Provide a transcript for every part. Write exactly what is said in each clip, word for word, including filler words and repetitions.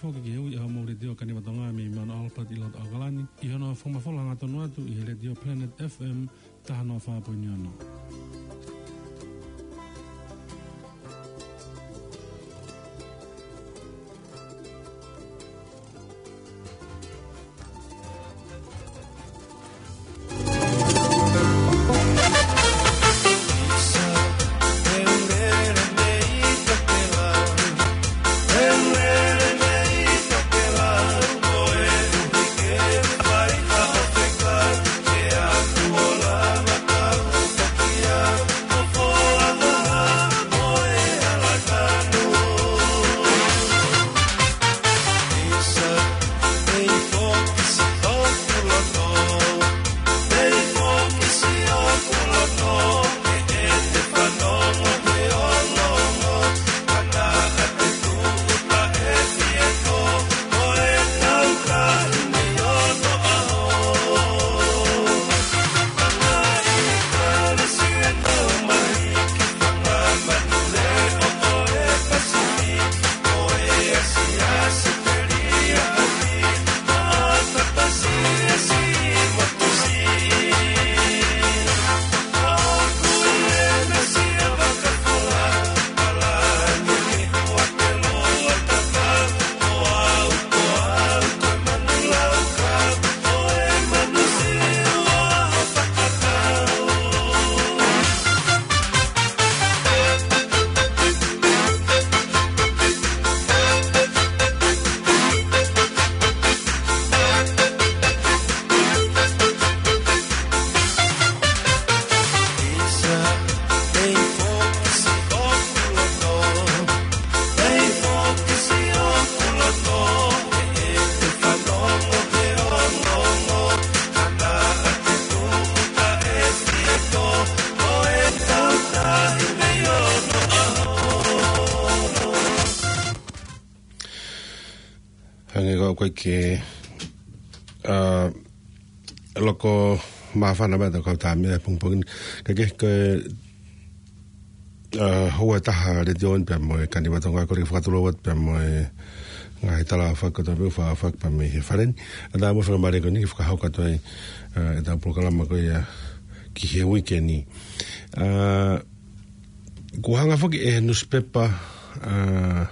Foki ki he ui ʻa hoʻomou Letiō Kaniva Tonga mei Mount Albert ʻi loto ʻAokalani, ʻi hono fakamafola hangatonu atu ʻi he Letiō Planet F M taha noa fā poini ono. Hangē ko ʻeku ʻai ke, ʻa, loko māfana mai ʻetau kau tāmea he pongipongi ni. Ka ke, ke, ʻa, houa ʻe taha Letiō ni pea mo e Kaniva Tonga, kole ke fakatulou atu pea mo e ngaahi tala fakakātoa pē ʻoku fakahoko pē mei he fale ni. ʻA, tā mo e faingamālie ko eni ke fakahoko atu ai, ʻa, ʻetau polokalama ko ia ki he uike ni. ʻA, kuo hanga foki ʻe he nusipepa, ʻa,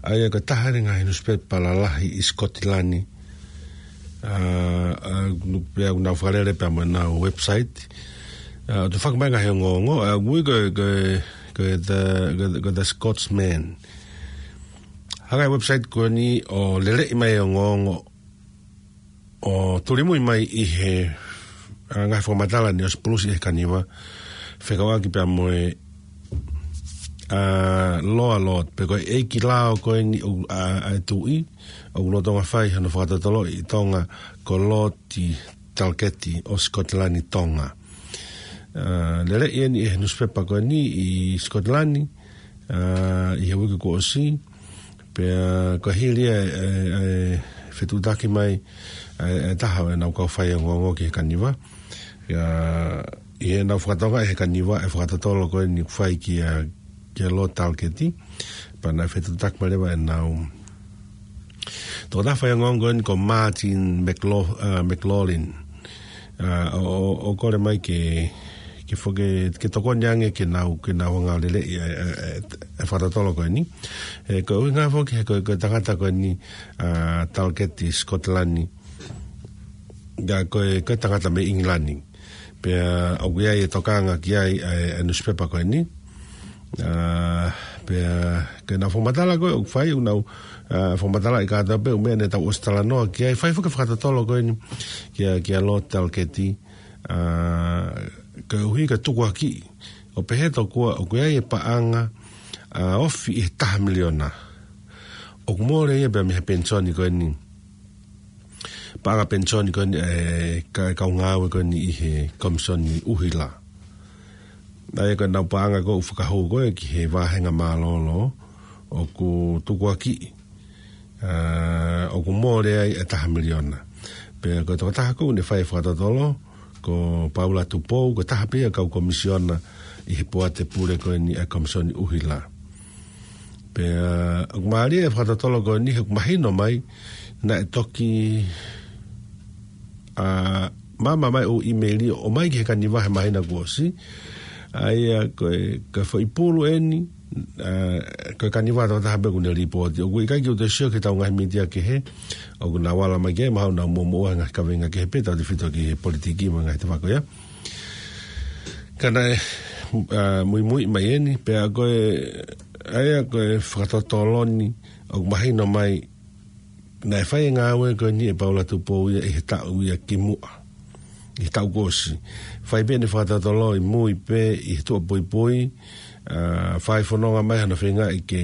ʻa ia ko e taha ʻeni e ngaahi nusipepa lalahi ʻi Sikotilani. ʻA, ʻa, nu-, pea ʻoku nau fakalele pea mo ʻenau website. ʻA, ʻoku toe foki mai e ngaahi ongoongo, ʻa, ʻoku ui ko e, ko e, ko e the, ko e, ko e The Scotsman. Hanga e website ko eni ʻo leleʻi mai e ongoongo ʻo tulimui mai ʻi he, ʻa, ngaahi fakamatala ni ʻosi pulusi ʻe he Kaniva, fekauʻaki pea mo e, ʻa, Loa Lord, pe ko e ʻeiki lao ko eni ʻo, ʻa, ʻa e tuʻi, ʻoku lolotonga fai hono fakatotoloʻi ʻi Tonga ko Lord Talkeeti ʻo Sikotilani Tonga. ʻA, leleʻi ʻeni ʻe he nusipepa ko eni ʻi Sikotilani, ʻa, ʻi he uike kuo ʻosi, pea ko e hili ia e, e, e fetuʻutaki mai, e, e taha ʻo ʻenau kau faiongoongo ki he Kaniva. ʻIa, ʻi heʻenau fakatokangaʻi ʻe he Kaniva e fakatotolo ko eni ʻoku fai kia, kia Lord Talkeeti. Pea naʻe fetuʻutaki mai leva ʻenau tokotaha faiongoongo ko eni ko Martin McLau-, ʻa, McLaughlin. ʻA, ʻo, ʻo, ʻo kole mai ke, ke foki, ke tokoni ange ke nau, ke nau hanga ʻo leleʻi e, e, e, e fakatotolo ko eni. He ko e ʻuhinga foki he ko e, ko e tangata ko eni, ʻa, Talkeeti Sikotilani, ʻa, ko e, ko e tangata mei ʻIngilani. Pea ʻoku ʻi ai e tokanga ki ai e, e nusipepa ko eni. ʻA, pea ko ʻenau fakamatala ko ē ʻoku fai, ʻoku nau, ʻa, fakamatalaʻi kātoa pē ʻū meʻa ne tau ʻosi talanoa ki ai, fai foki e fakatotolo ko eni kia, kia Lord Talkeeti, ʻa, koeʻuhi ko e tukuakiʻi ʻo pehē tokua ʻoku ʻi ai e paʻanga, ʻa, ofi ʻi he taha miliona. ʻOku mole ia pea mei he penisoni ko eni. Paʻanga penisoni ko eni, e, ka-, kau ngāue ko eni ʻi he Komisoni ʻUhila. ʻA ia ko ʻenau paʻanga ko ē ʻoku fakahū ko ē ki he vāhenga mālōlō ʻoku tukuakiʻi, ʻa, ʻoku mole ai e taha miliona. Pea ko e tokotaha ko ē ne fai e fakatotolo, ko Paula Tupou, ko e taha pē ia e kau komisiona ʻi he poate pule ko eni ʻa e Komisoni ʻUhila. Pea ʻoku mālie e fakatotolo ko eni he ʻoku mahino mai naʻe toki, ʻa, maama mai ʻū ʻīmeili ʻo ʻomai ki he Kaniva he māhina kuo ʻosi. ʻA ia ko e, ko e foʻi pulu eni, ʻa, ko e Kaniva tokotaha pē ʻoku ne lipooti. ʻOku ʻikai ke u toe sio ki heʻetau ngaahi mītia kehe ʻoku nau ala mai ki ai, mahalo nau muʻomuʻa he ngaahi kaveinga kehe pē tautefito ki he politiki mo e ngaahi tefako ia. Ka naʻe, ʻa, muimui mai eni, pea ko e, ʻa ia ko e fakatotolo ni ʻoku mahino mai naʻe fai e ngāue ko eni ʻe Paula Tupou ia ʻi he taʻu ia kimuʻa, ʻi he taʻu kuo ʻosi. Fai pē ʻene fakatotolo ʻi mui pē ʻi he tuʻa puipui, ʻa, fai fononga mai hano feingaʻi ke,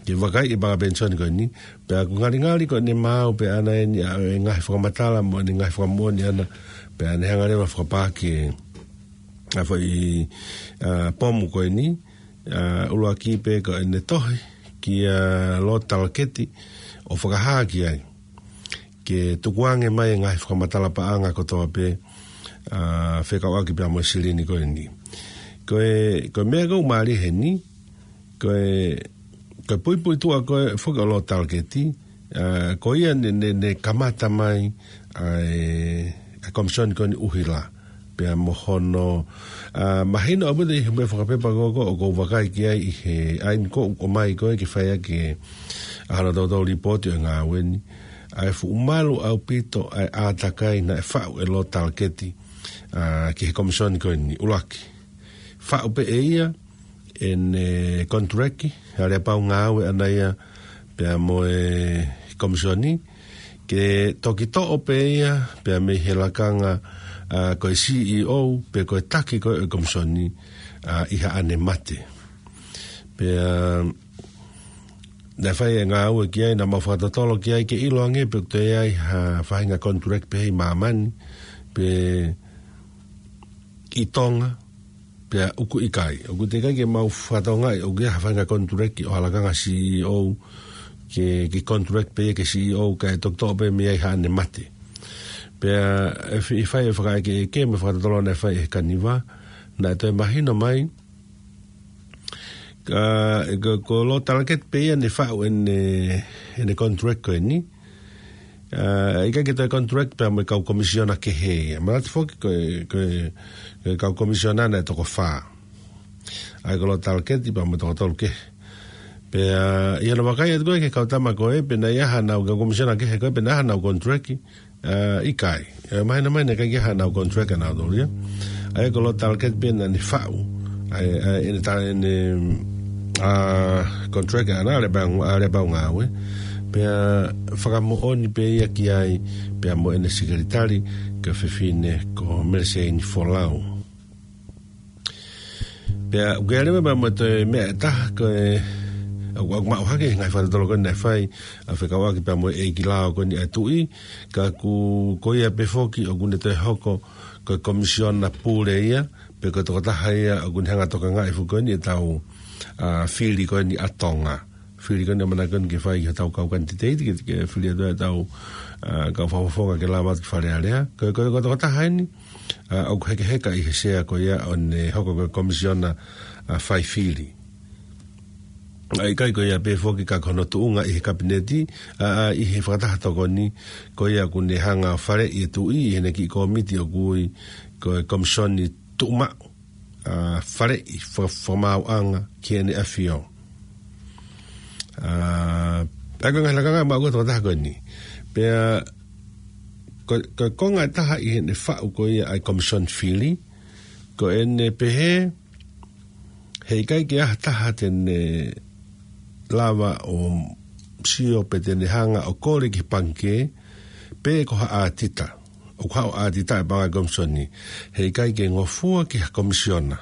ke vakaiʻi e paʻanga penisoni ko eni. Pea ʻoku ngalingali ko ʻene maau pē ʻana eni ʻa e ngaahi fakamatala mo ʻene ngaahi fakamoʻoni ʻana, pea ne hanga leva ʻo fakapaaki e, ʻa, foʻi, ʻa, pomu ko eni, ʻa, ʻuluaki pē ko ʻene tohi kia Lord Talaketi ʻo fakahā ki ai ke tukuange mai e ngaahi fakamatala paʻanga kotoa pē, ʻa, fekauʻaki pea mo e silini ko eni. Ko e, ko e meʻa ʻoku mālie heni, ko e, ko e puipuituʻa ko ē foki ʻo Lord Talaketi, ʻa, ko ia ne, ne, ne kamata mai ʻa e, ʻa e komisoni ko eni ʻuhila. Pea mo hono, ʻa, mahino ʻaupito ʻi he meʻa fakapepa ko ē ʻoku ou vakai ki ai ʻi he ʻaho ni ko ē ʻoku ʻomai ko ē ke fai ʻaki e, ʻa, hano toutou lipooti ʻo e ngāue ni. ʻA e fuʻu malu ʻaupito ʻa e ʻātakai naʻe faʻu ʻe Lord Talaketi, ʻa, ki he komisoni ko eni ʻuluaki. Faʻu pē ʻe ia ʻene konituleki, aleapau ngāue ʻana ia pea mo e komisoni, ke toki toʻo pē ia pea mei he lakanga, ʻa, ko e C E O, pe ko e taki ko ē ʻo e komisoni, ʻa, ʻi haʻane mate. Pea naʻe fai e ngāue ki ai, naʻa mau fakatotolo ki ai ke ʻilo ange pe ʻoku toe ʻi ai ha faʻahinga konituleki pehē ʻi māmani, pe ʻi Tonga, pea ʻoku ʻikai. ʻOku teʻeki ai ke mau fakatokangaʻi ʻoku ʻi ai ha faʻahinga konituleki ʻo ha lakanga C E O, ke, ke konituleki pē ia ki he C E O, kae toki toʻo pē mei ai haʻane mate. Pea ʻi he, ʻi he fai e fakaʻekeʻeke mo e fakatotolo naʻe fai ʻe he Kaniva, naʻe toe mahino mai, ʻa, ko, ko Lord Talaketi pē ia ne faʻu ʻene, ʻene konituleki ko eni. ʻA, ʻikai ke toe konituleki pea mo e kau komisiona kehe ia. Manatu foki ko e, ko e, ko e kau komisiona naʻe toko fā. ʻA ia ko Lord Talaketi pea mo e toko tolu kehe. Pea, ʻa, ʻi hono vakai atu ko ē ki he kau tama ko ē, pe naʻe ʻi ai haʻanau, kau komisiona kehe ko ē, pe naʻe ʻi ai haʻanau konituleki, ʻa, ʻikai. ʻE, mahino mai naʻe ʻikai ke ʻi ai haʻanau konituleki ʻanautolu ia. ʻA ia ko Lord Talaketi pē naʻa ne faʻu ʻa e, ʻa e, ʻene ta-, ʻene, ʻa, konituleki ʻana, aleapau, aleapau ngāue. Pea fakamoʻoni pē ia ki ai, pea mo ʻene sekelitali, ko e fefine ko Meleseini Folau. Pea ʻoku ʻi ai leva pea mo e toe meʻa ʻe taha ko e, ʻoku, ʻoku maʻu hake he ngaahi fakatotolo ko ē naʻe fai, ʻa, fekauʻaki pea mo e ʻeiki lao ko eni ʻa e tuʻi, ka ʻoku, ko ia pē foki ʻoku ne toe hoko ko e komisiona pule ia, pe ko e tokotaha ia ʻoku ne hanga ʻo tokangaʻi foki ko eni ʻetau, ʻa, fili ko eni ʻa Tonga. Fili ko eni ʻamanaki ko eni ke fai ki hotau kau kanititeiti, ke, ke fili atu ʻetau, ʻa, kau fakafofonga ke lava atu ki Fale Alea. Ko e, ko e, ko e tokotaha eni, ʻa, ʻoku hekeheka ʻi he sea ko ia ʻo ne hoko ko e komisiona, ʻa, fai fili. ʻA, ʻikai ko ia pē foki ka ko hono tuʻunga ʻi he kapineti, ʻa, ʻa, ʻi he fakataha tokoni, ko ia ʻoku ne hanga ʻo faleʻi e tuʻi ʻi heʻene kiʻi kōmiti ʻoku ui ko e Komisoni Tuʻumaʻu, ʻa, faleʻi fa-, fakamaauʻanga ki heʻene ʻafio. ʻA, pea ko e ngaahi lakanga maʻu ko ē ʻa e tokotaha ko eni. Pea ko, ko e konga ʻe taha ʻi heʻene faʻu ko ia ʻa e komisoni fili, ko ʻene pehē, heʻikai ke ʻi ai ha taha te ne lava ʻo sio pe te ne hanga ʻo kole ki he pangikē, pe ko ha ʻātita. ʻOku haʻu ʻo ʻātita e paʻanga ʻo e komisoni. Heʻikai ke ngofua ki ha komisiona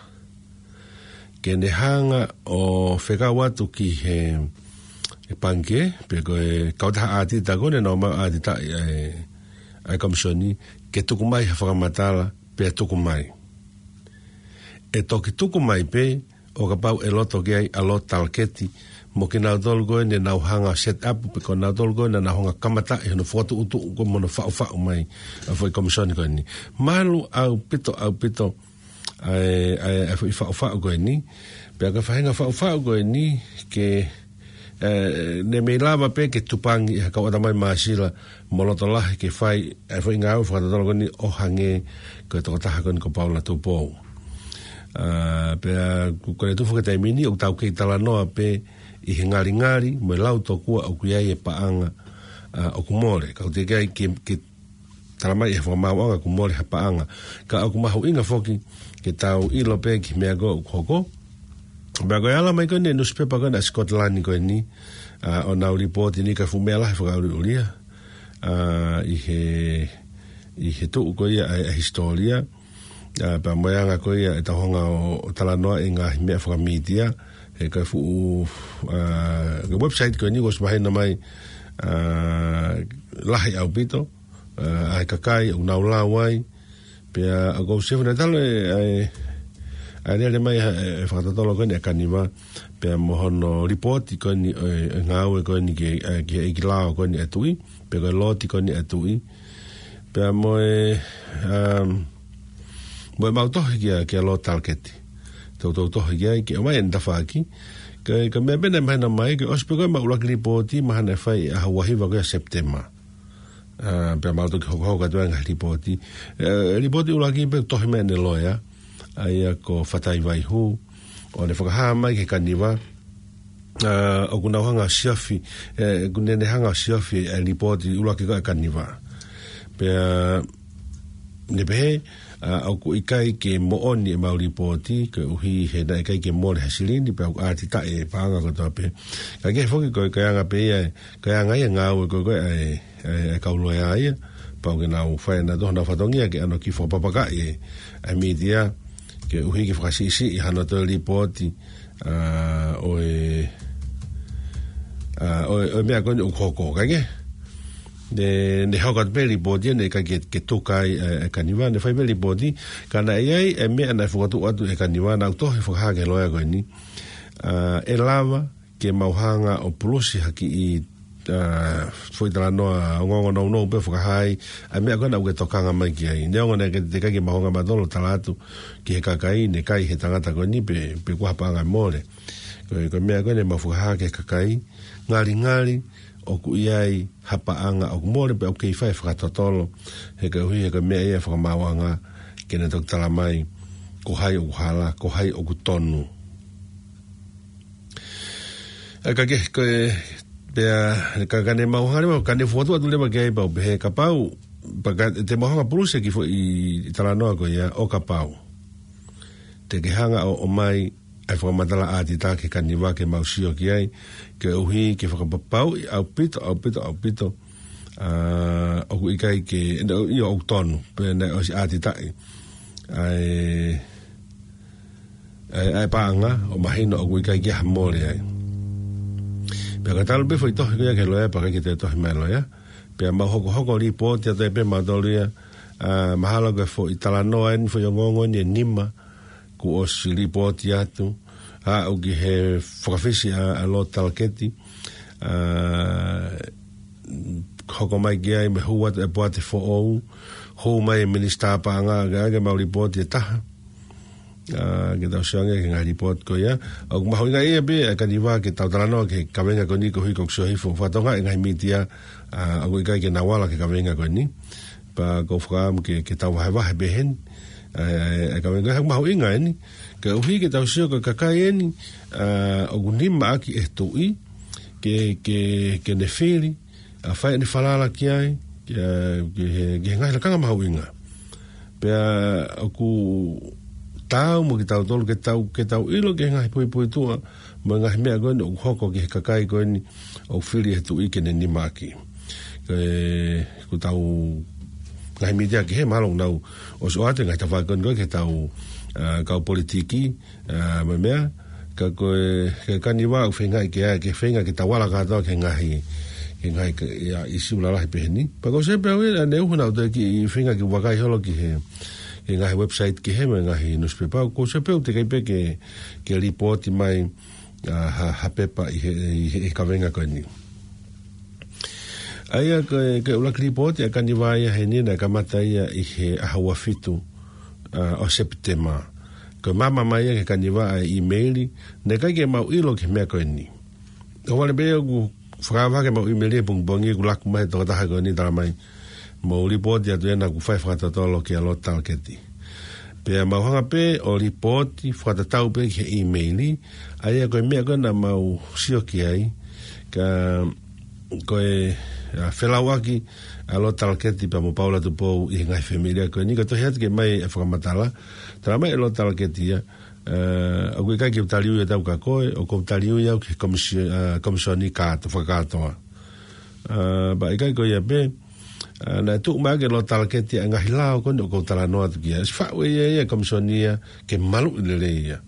ke ne hanga ʻo fekau atu ki he, he pangikē, pe ko e kautaha ʻātita ko ē naʻa nau ʻatitaʻi ʻa e, ʻa e komisoni, ke tuku mai ha fakamatala, pea tuku mai. ʻE toki tuku mai pē ʻo kapau ʻe loto ki ai ʻa Lord Talaketi mo kinautolu ko ē naʻa nau hanga ʻo set up, pe ko nautolu ko ē naʻa nau hanga ʻo kamataʻi hono fokotuʻutuʻu ko ē mo hono faʻufaʻu mai ʻa e foʻi komisoni ko eni. Malu ʻaupito, ʻaupito ʻa e, ʻa e, ʻa e foʻi faʻufaʻu ko eni. Pea ko e faʻahinga faʻufaʻu ko eni ke, ē, ne mei lava pē ke tupangi ʻe ha kau ʻatamai māsila mo loto lahi ke fai ʻa e foʻi ngāue fakatotolo ko eni ʻo hangē ko e tokotaha ko eni ko Paula Tupou. Ā, pea ko, ko e tuʻu foki he taimi ni ʻoku tau kei talanoa pē ʻi he ngalingali mo e lau tokua ʻoku ʻi ai e paʻanga, ā, ʻoku mole. Ka ʻoku teʻeki ai ke, ke tala mai ʻe he fakamaauʻanga ʻoku mole ha paʻanga. Ka ʻoku mahuʻinga foki ke tau ʻilo pē ki he meʻa ko ē ʻoku hoko. Pea ko e ala mai ko eni e nusipepa ko eni ʻa Scotland ko eni, ā, ʻo nau lipooti ni ka fuʻu meʻa lahi fakaʻuliʻulia, ā, ʻi he, ʻi he tuʻu ko ia ʻa e, ʻa e hisitōlia. Ā, pea mo e anga ko ia ʻetau hanga ʻo, ʻo talanoa ʻi he ngaahi meʻa fakamītia, he ko e fuʻu, ā, ko e website ko eni kuo ʻosi mahino mai, ā, lahi ʻaupito, ā, ʻa e kakai ʻoku nau lau ai, pea ʻoku ou sio naʻe talu e, ʻa e, ʻa e lele mai ʻa e, e fakatotolo ko eni ʻa Kaniva, pea mo hono lipooti ko eni ʻo e, e ngāue ko eni ki he, ā, ki he ʻeikilao ko eni ʻa e tuʻi, pe ko e looti ko eni ʻa e tuʻi. Pea mo e, um, mo ʻemau tohi kia, kia Lord Talkeeti. Toutou tohi ki ai, ke ʻomai ʻene tafaʻaki. Ka, ka meʻa pē naʻe mahino mai, ke ʻosi pē ko ē ʻemau ʻuluaki lipooti, mahalo naʻe fai ʻaho ua hiva ko ia Sepitema. Ā, pea mau toki hokohoko atu ai ngaahi lipooti. Ē, lipooti ʻuluaki pē tohi mai ʻene loea, ʻa ia ko Fatai Vaihu, ʻo ne fakahā mai ki he Kaniva, ā, ʻoku nau hanga ʻo siofi, ē, ʻoku ne, ne hanga ʻo siofi e lipooti ʻuluaki ko ē ʻa Kaniva. Pea ne pehē, ā, ʻoku ʻikai ke moʻoni ʻemau lipooti, koeʻuhi he naʻe ʻikai ke mole ha silini, pea ʻoku ʻātitaʻi e paʻanga kotoa pē. Ka ke foki ko e, ko e anga pē ia, ko e anga ia e ngāue ko ē, ko ē ʻa e, ʻa e, ʻa e kau loea ia, pau ke nau fai ʻenau tohi, nau fatongia ke ʻano kiʻi fakapapakaʻi e, ʻa e mītia, koeʻuhi ke fakasiʻisiʻi hano toe lipooti, ā, ʻo e, ā, ʻo e, ʻo e meʻa ko eni ʻoku hoko, kae kehe. Ne, ne hoko atu pē lipooti, ne ʻikai ke, ke tuka ai, ē, e Kaniva, ne fai pē lipooti, ka naʻe ʻi ai e meʻa naʻe fokotuʻu atu ʻe Kaniva, naʻa ku tohi fakahā ki he loea ko eni. Ā, ʻe lava ke mau hanga ʻo pulusi ha kiʻi, ā, foʻi talanoa ongoongo nounou pē fakahā ai ʻa e meʻa ko ē naʻa ku tokanga mai ki ai. Neongo naʻe ʻikai ke mau hanga mautolu ʻo tala atu ki he kakai naʻe kai ʻe he tangata ko eni pe, pe ko ha paʻanga mole. Ko e, ko e meʻa ko ē ne mau fakahā ki he kakai, ngalingali ʻoku ʻi ai ha paʻanga ʻoku mole pea ʻoku kei fai e fakatotolo, he koeʻuhi he ko e meʻa ia ʻa e fakamaauʻanga ke ne toki tala mai ko hai ʻoku hala, ko hai ʻoku tonu. Ē, ka ke, ko e, pea, ka, ka ne mau hanga leva, ka ne fokotuʻu atu leva ki ai pau, pehē kapau, pea ka, te mau hanga pulusi e kiʻi foʻi talanoa ko ia ʻo kapau te ke hanga ʻo, ʻomai ʻa e fakamatala ʻātitaha ki he Kaniva ke mau sio ki ai, koeʻuhi ke fakapapauʻi ʻaupito, ʻaupito, ʻaupito, ā, ʻoku ʻikai ke, ʻio, ʻoku tonu, pea naʻe ʻosi ʻātitaʻi ʻa e, ʻa e, ʻa e paʻanga, ʻo mahino ʻoku ʻikai ke ʻi ai ha mole ai. Pea ka talu pē foʻi tohi ko ia ki he loea, pea ʻikai ke toe tohi mai e loea. Pea mau hokohoko lipooti atu ai pē mautolu ia, ā, mahalo ko e foʻi talanoa eni, foʻi ongoongo eni ʻe nima, kuo ʻosi lipooti atu, aʻu ki he fakafisi ʻa, ʻa Lord Talkeeti, ā, hoko mai ki ai mei he hū atu e poate foʻou, hū mai e minisitā paʻanga, ke, ke mau lipooti ʻe taha. Ā, ke tau sio ange ki he ngaahi lipooti ko ia. ʻOku mahuʻinga ia pē, ē, ʻa e Kaniva ke tau talanoa ki he kaveinga ko eni koeʻuhi ko e sio hifo fatongia e ngaahi mītia, ā, ʻoku ʻikai ke nau ala ki he kaveinga ko eni. Pea ʻoku ou fakaʻamu ke, ke tau vahevahe pē heni. Ē, ē, ē, ka venga, ʻoku mahuʻinga eni. Koeʻuhi ke tau sio ko e kakai eni, ā, ʻoku nima ʻaki ʻe he tuʻi, ke, ke, ke ne fili, ʻa fai ʻene falala ki ai, ki, ā, ki he, ki he ngaahi lakanga mahuʻinga. Pea ʻoku taau mo kitautolu ke tau, ke tau ʻilo ki he ngaahi puipuituʻa, mo e ngaahi meʻa ko eni ʻoku hoko ki he kakai ko eni ʻoku fili ʻe he tuʻi ke ne nima ʻaki. Ē, ko ʻetau ngaahi mītia kehe mahalo ʻoku nau ʻosi ʻoatu e ngaahi tafaʻaki ko eni ko ē ki heʻetau, ā, kau politiki, ā, mo e meʻa, ka ko e, ko e Kaniva ʻoku feinga ke, ke feinga ke tau ala kātoa ki he ngaahi, ki he ngaahi, ʻa, ʻīsiu lalahi pehē ni. Pea ʻoku ou sio pē au ia, ʻa e ʻuhinga ʻoku ou toe kiʻi feinga ke vakai holo ki he, ki he ngaahi website kehe mo e ngaahi nusipepa, ʻoku ou sio pē au teʻeki ai pē ke, ke lipooti mai, ā, ha, ha pepa ʻi he, ʻi he, ʻi he kaveinga ko eni. ʻA ia ko e, ko e ʻuluaki lipooti ʻa Kaniva ia heni naʻe kamata ia ʻi he ʻaho ua fitu, ā, ʻo Sepitema. Ko e maama mai ia ki he kaniva ʻa e ʻīmeili, naʻe ʻikai ke mau ʻilo ki he meʻa ko eni. ʻOku vale pē ʻoku fakaava ke mau ʻīmeili he pongipongi ʻoku laku mai e tokotaha ko eni talamai, mou lipooti atu ena ʻoku fai fakatotolo kia Lord Talketi. Pea mau hanga pē ʻo lipooti fakatatau pē ki he ʻīmeili, ʻa ia ko e meʻa ko ē naʻa mau sio ki ai, ka ko e, ʻa, felauʻaki ʻa Lord Talketi pea mo Paula Tupou ʻi he ngaahi fāmili ko eni, ka tohi atu ke mai e fakamatala, talamai ʻe Lord Talketi ia, ʻa, ʻoku ʻikai ke u tali ui ʻe au kia koe, ʻoku ou tali ui au ki he komisio-, ʻa, komisoni kātoa, fakakātoa. ʻA, pea ʻikai ko ia pē, ʻa, naʻe tuʻu mai ʻe Lord Talketi ʻa e ngaahi lao ko eni ʻoku ou talanoa atu ki ai. ʻOsi faʻu ʻe ia ia e komisoni ia ke maluʻi lelei ia.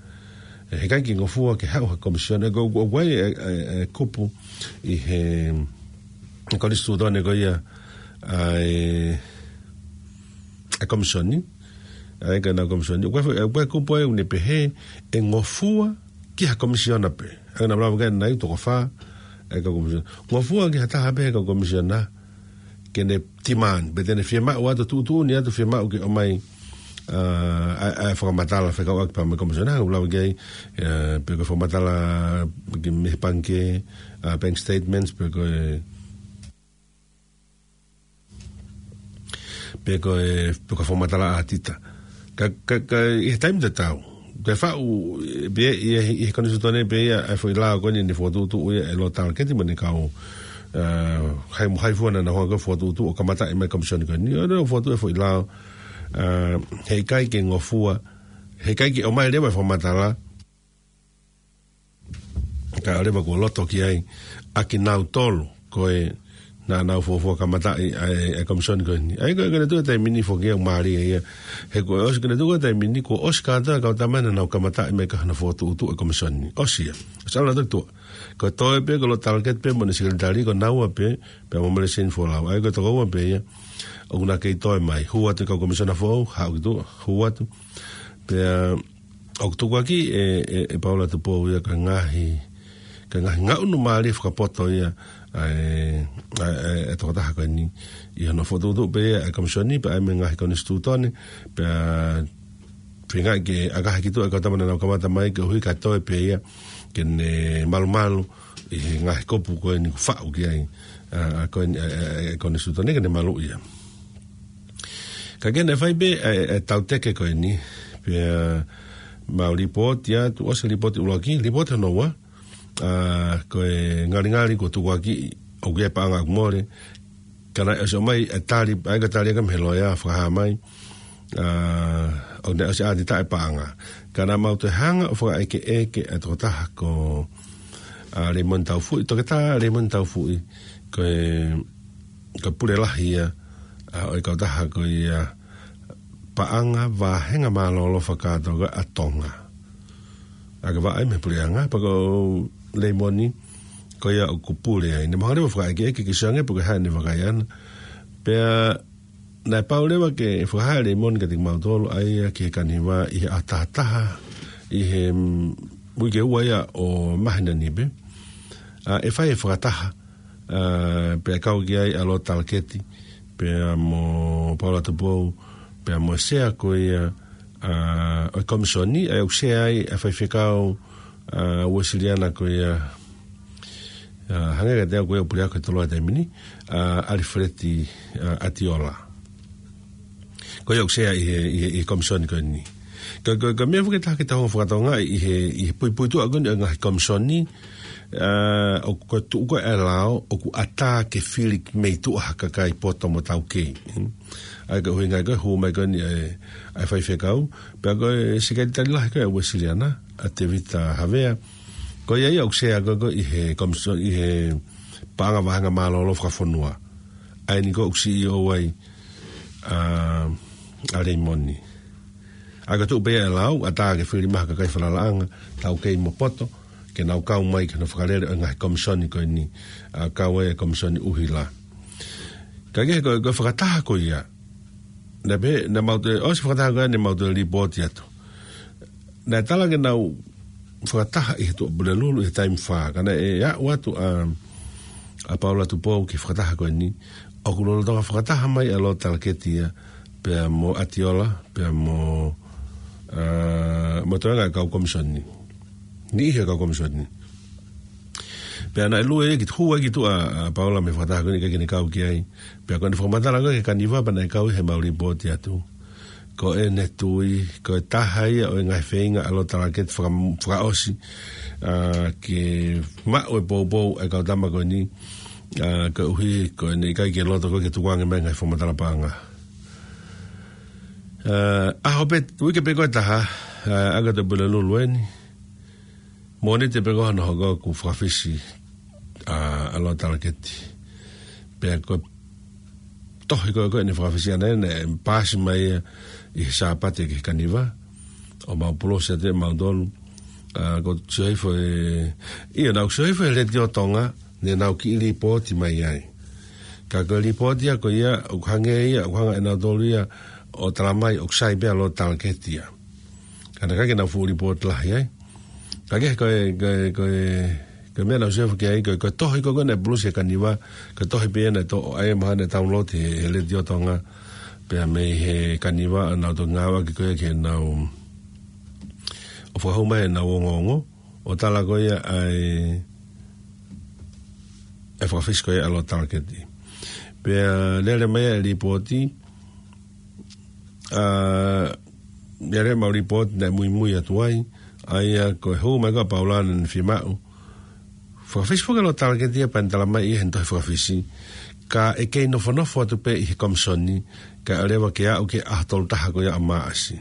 ʻE, heʻikai ke ngofua ke haʻu ha komisoni, ʻe, ko, ko, ko e, ʻe, ʻe, ʻe kupu ʻi he, he konisitūtone ko ia, ʻa e, ʻa e komisoni, ʻa e kau komisoni. ʻOku ʻi ai, ʻoku ʻi ai e kupu ʻoku ne pehē ʻe ngofua ki ha komisiona pē. ʻA ia naʻa mau lave ki ai ʻanenai, toko fā e kau komisiona. Ngofua ki ha taha pē he kau komisiona ke ne demand, pe te ne fiemaʻu atu, tuʻutuʻuni atu fiemaʻu ke ʻomai, ʻa, ʻa, ʻa e fakamatala fekauʻaki pea mo e komisiona, ʻoku lave ki ai, ʻa, pe ko e fakamatala ki he pangikē, ʻa, bank statements, pe ko e pe ko e, pe ko e fakamatala ʻa ʻatita. Ka, ka, ka, ʻi he taimi tatau, te faʻu, ʻe, pē, ʻi he, ʻi he konisitūtone pē ia, ʻa e foʻi lao ko eni ne fokotuʻutuʻu ia ʻe Lord Talketi mo ʻene kau, ʻa, hai, hai fua naʻa nau hanga ʻo fokotuʻutuʻu ʻo kamataʻi mai e komisoni ko eni. ʻO ne fokotuʻu e foʻi lao, ʻa, heʻikai ke ngofua, heʻikai ke ʻomai leva e fakamatala, kae ʻoua leva kuo loto ki ai ʻa kinautolu ko ē naʻa nau fuofua kamataʻi ʻa e, ʻa e komisoni ko eni. ʻA ia ko e, ko e tuʻu e taimi ni foki ʻoku mālie ia. He ko e ʻosi ko e tuʻu e taimi ni kuo ʻosi kātoa e kau tama naʻa nau kamataʻi mai ki hono fokotuʻutuʻu e komisoni. ʻOsi ia. ʻOsi ʻalu atu ki tuʻa. Ko e toe pē ko Lord Talketi pē mo ʻene sekelitali ko naua pē, pea mo Melesini Folau. ʻA ia ko e toko ua pē ia ʻoku na kei toe mai. Hū atu e kau komisiona foʻou, haʻu ki tuʻa, hū atu. Pea ʻoku tukuakiʻi ʻe, ʻe, ʻe Paula Tupou ia ko e ngaahi, ko e ngaahi ngaʻunu mālie fakapoto ia ʻa e, ʻa e, ʻa e tokotaha ko eni ʻi hono fokotuʻutuʻu pē ia e komisoni, pea ʻai mei he ngaahi konisitūtone, pea feingaʻi ke ʻakahi ki tuʻa e kau tama naʻa nau kamata mai, koeʻuhi ka toe pē ia ke ne malumalu ʻi he ngaahi kupu ko eni kuo faʻu ki ai, ʻa, ʻa, ko eni, ʻa, ʻa, ʻa e konisitūtone ke ne maluʻi ia. Ka ke ne fai pē ʻa e, ʻa e tauteke ko eni, pea mau lipooti atu, ʻosi e lipooti ʻuluaki, lipooti hono ua, ʻa, ko e ngalingali kuo tukuakiʻi ʻoku ʻi ai e paʻanga ʻoku mole, ka naʻe ʻosi ʻomai e tali, ʻa ia ko e tali ʻa e kau mei he loea fakahā mai, ʻa, ʻoku ne ʻosi ʻatitaʻi e paʻanga. Ka naʻa mau toe hanga ʻo fakaʻekeʻeke ʻa e tokotaha ko, ʻa, Leimoni Taufuʻi, Toketā Leimoni Taufuʻi, ko e, ko e pule lahi ia, ʻa, ʻo e kautaha ko ia Paʻanga Vāhenga Mālōlō Fakakātoa ʻa Tonga. ʻA ia ko e vaʻa ia mei he puleʻanga, pea ko Leimoni, ko ia ʻoku pule ai. Naʻa mau hanga leva ʻo fakaʻekeʻeke ke sio ange pe ko e hā ʻene vakai ʻana. Pea naʻe pau leva ke fakahā ʻe Leimoni kiate kimautolu ʻa ia ki he kaniva ʻi he ʻaho taha taha, ʻi he, mm, uike ua ia ʻo māhina ni pē. ʻA, ʻe fai e fakataha, ʻa, pea kau ki ai ʻa Lord Talketi, pea mo Paula Tupou, pea mo e sea ko ia, ʻa, ʻo e komisoni, ʻa ia ʻoku sea ai ʻa e faifekau, ʻa, Uēsiliana ko ia, ʻa, hangē kiate au ko ia ʻoku pule au ki he toloa he taimi ni, ʻa, ʻAlifeleti, ʻa, ʻAtiola. Ko ia ʻoku sea ʻi he, ʻi he, ʻi he komisoni ko eni. Ka, ka, ka meʻa foki ʻe taha ke tau fakatokangaʻi ʻi he, ʻi he puipuituʻa ko eni ʻo e ngaahi komisoni, ʻa, ʻoku tuʻu ko ē e lao, ʻoku ʻatā ke fili mei tuʻa ha kakai poto mo taukei. Hmm. ʻA ia ko e ʻuhinga ia ko e hū mai ko eni ʻa e, ʻa e faifekau, pea ko e sekelitali lahi ko ē ʻa Uēsiliana, ʻa Tēvita Havea. Ko ia ia ʻoku sea ko ē ko ē ʻi he komiso-, ʻi he Paʻanga Vāhenga Mālōlō Fakafonua. ʻA eni ko ē ʻoku CEO ai, ʻa, ʻa Leimoni. ʻA ia ko e tuʻu pē ia e lao, ʻatā ke fili mai ha kakai falalaʻanga, taukei mo poto, ke nau kau mai ki hono fakalele ʻo e ngaahi komisoni ko eni, ʻa, kau ai e komisoni ʻuhila. Ka ke ko, ko e fakataha ko ia, naʻe pē, naʻa mau toe, ʻosi e fakataha ko ia naʻa mau toe lipooti atu. Naʻe tala ke nau fakataha ʻi he Tuʻapulelulu ʻi he taimi fā, ka naʻe aʻu atu ʻa, ʻa Paula Tupou ki he fakataha ko eni, ʻoku lolotonga fakataha mai ʻa Lord Talketi ia, pea mo ʻAtiola, pea mo ʻa, mo e toenga e kau komisoni. Niʻihi e kau komisoni. Pea naʻe lue ki tuʻa, ki tuʻa ʻa Paula mei he fakataha ko eni ʻikai ke ne kau ki ai. Pea ko ʻene fakamatala ko ē ki he kaniva pea naʻe kau he mau lipooti atu. Ko ʻene tui, ko e taha ia ʻo e ngaahi feinga ʻa Lord Tarakete faka-, fakaʻosi, ʻa, ke maʻu e poupou e kau tama ko eni, ʻa, koeʻuhi ko ʻene ʻikai ke loto ko ē ke tukuange mai e ngaahi fakamatala paʻanga. ʻA, ʻaho pē, uike pē ko ē ʻe taha, ʻa, ʻa ka tau pule lulu eni. Mōnite pē ko ē hono hoko kuo fakafisi, ʻa, ʻa Lord Tarakete. Pea ko e tohi ko ē ko ē ʻene fakafisi ʻana ē, naʻe paasi mai ia ʻi he Sāpate ki he kaniva. ʻO mau pulosi atu ʻe mautolu. ʻA, ʻoku ou sio hifo ē, ʻio naʻá ku sio hifo he Letiō Tonga, ne nau kiʻi lipooti mai ai. Ka ko e lipooti ia ko ia, ʻoku hangē ia, ʻoku hanga ʻe nautolu ia ʻo talamai ʻoku sai pē ʻa Lord Tarakete ia. Ka naʻe ʻikai ke nau fuʻu lipooti lahi ai. Ka ko e, ko e, ko e, ko e, ko e meʻa naʻá ku sio hifo ki ai, ko e, ko e tohi ko ē ko ē naʻe pulosi he kaniva, ko e tohi pē ia naʻe toʻo ai mahalo naʻe download he, he Letiō Tonga, pea mei he kaniva, ʻa, naʻa nau toki ngāueʻaki ko ē ke nau, ʻo fakahū mai ʻenau ongoongo, ʻo tala ko ia ʻa e, e fakafisi ko ia ʻa Lord Tarakete. Pea lele mai e lipooti, ʻa, lele mai e lipooti naʻe muimui atu ai, ʻa ia ko e hū mai ko ē ʻa Paula naʻá ne fiemaʻu fakafisi foki ʻa Lord Tarakete ia pea ne talamai ʻi heʻene tohi fakafisi, ka ʻe kei nofonofo atu pē ʻi he komisoni, kae ʻoua leva ke aʻu ki he ʻaho tolu taha ko ia ʻo Maʻasi.